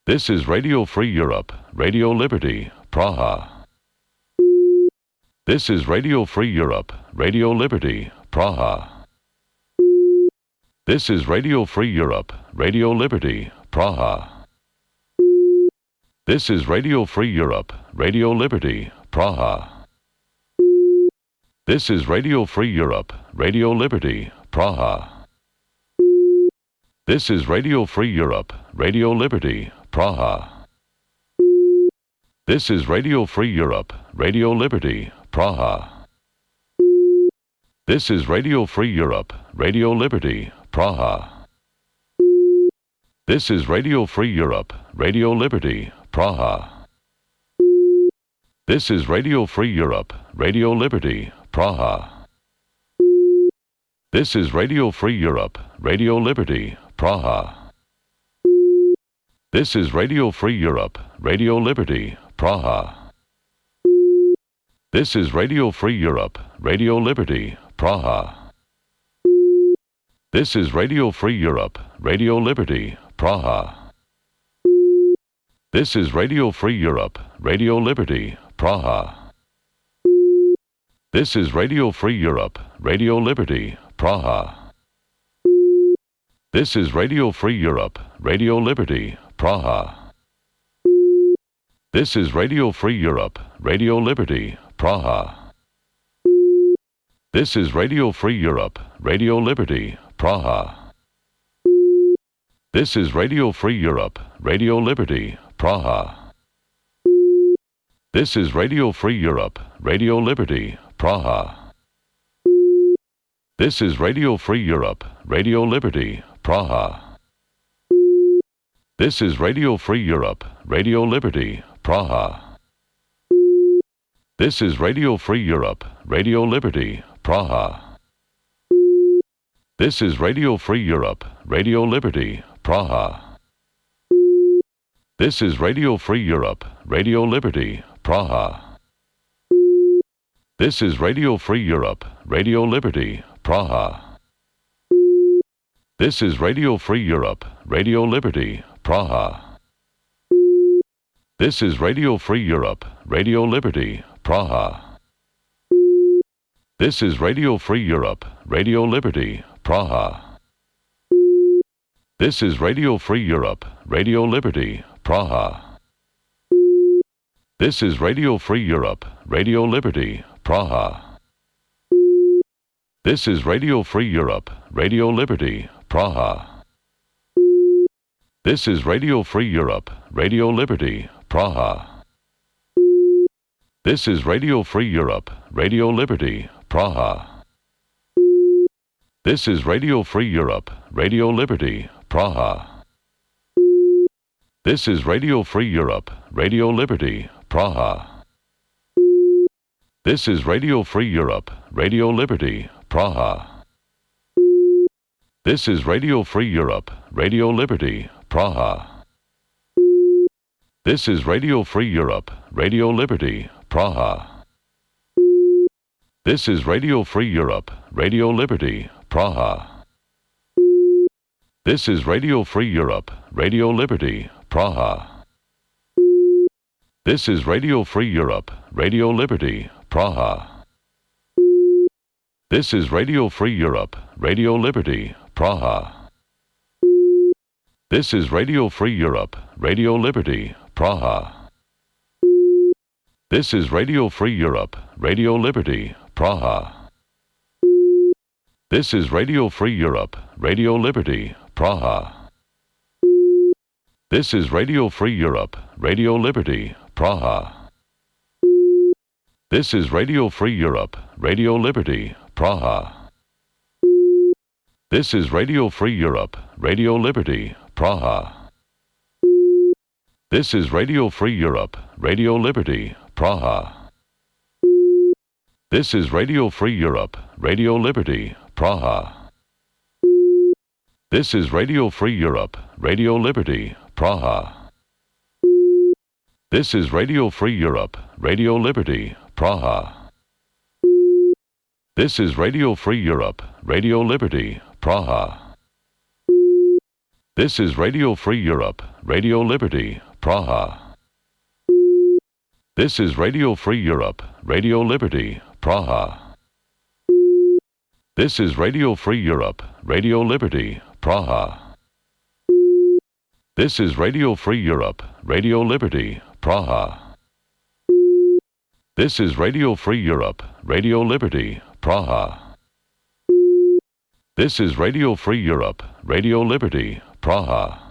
H: This is Radio Free Europe, Radio Liberty, Praha. This is Radio Free Europe, Radio Liberty, Praha. This is Radio Free Europe, Radio Liberty, Praha. This is Radio Free Europe, Radio Liberty, Praha. This is Radio Free Europe, Radio Liberty, Praha. This is Radio Free Europe, Radio Liberty, Praha. This is Radio Free Europe, Radio Liberty, Praha. This is Radio Free Europe, Radio Liberty, Praha. This is Radio Free Europe, Radio Liberty, Praha. This is Radio Free Europe, Radio Liberty, Praha. This is Radio Free Europe, Radio Liberty, Praha. This is Radio Free Europe, Radio Liberty, Praha. This is Radio Free Europe, Radio Liberty, Praha. This is Radio Free Europe, Radio Liberty, Praha. This is Radio Free Europe, Radio Liberty, Praha. This is Radio Free Europe, Radio Liberty, Praha. This is Radio Free Europe, Radio Liberty, Praha. This is Radio Free Europe, Radio Liberty, Praha. This is Radio Free Europe, Radio Liberty, Praha. This is Radio Free Europe, Radio Liberty, Praha. This is Radio Free Europe, Radio Liberty, Praha. This is Radio Free Europe, Radio Liberty, Praha. This is Radio Free Europe, Radio Liberty, Praha. This is Radio Free Europe, Radio Liberty, Praha. This is Radio Free Europe, Radio Liberty, Praha. This is Radio Free Europe, Radio Liberty, Praha. This is Radio Free Europe, Radio Liberty, Praha. This is Radio Free Europe, Radio Liberty, Praha. This is Radio Free Europe, Radio Liberty, Praha. This is Radio Free Europe, Radio Liberty, Praha. This is Radio Free Europe, Radio Liberty, Praha. This is Radio Free Europe, Radio Liberty, Praha. This is Radio Free Europe, Radio Liberty, Praha. This is Radio Free Europe, Radio Liberty, Praha. This is Radio Free Europe, Radio Liberty, Praha. This is Radio Free Europe, Radio Liberty, Praha. This is Radio Free Europe, Radio Liberty, Praha. This is Radio Free Europe, Radio Liberty, Praha. This is Radio Free Europe, Radio Liberty, Praha. This is Radio Free Europe, Radio Liberty, Praha. This is Radio Free Europe, Radio Liberty, Praha. This is Radio Free Europe, Radio Liberty, Praha. This is Radio Free Europe, Radio Liberty, Praha. This is Radio Free Europe, Radio Liberty, Praha. This is Radio Free Europe, Radio Liberty, Praha. This is Radio Free Europe, Radio Liberty, Praha. This is Radio Free Europe, Radio Liberty, Praha. This is Radio Free Europe, Radio Liberty, Praha. This is Radio Free Europe, Radio Liberty, Praha. This is Radio Free Europe, Radio Liberty, Praha. This is Radio Free Europe, Radio Liberty, Praha. This is Radio Free Europe, Radio Liberty, Praha. This is Radio Free Europe, Radio Liberty, Praha. This is Radio Free Europe, Radio Liberty, Praha. This is Radio Free Europe, Radio Liberty, Praha. This is Radio Free Europe, Radio Liberty, Praha. This is Radio Free Europe, Radio Liberty, Praha. This is Radio Free Europe, Radio Liberty, Praha. This is Radio Free Europe, Radio Liberty, Praha. This is Radio Free Europe, Radio Liberty, Praha. This is Radio Free Europe, Radio Liberty, Praha.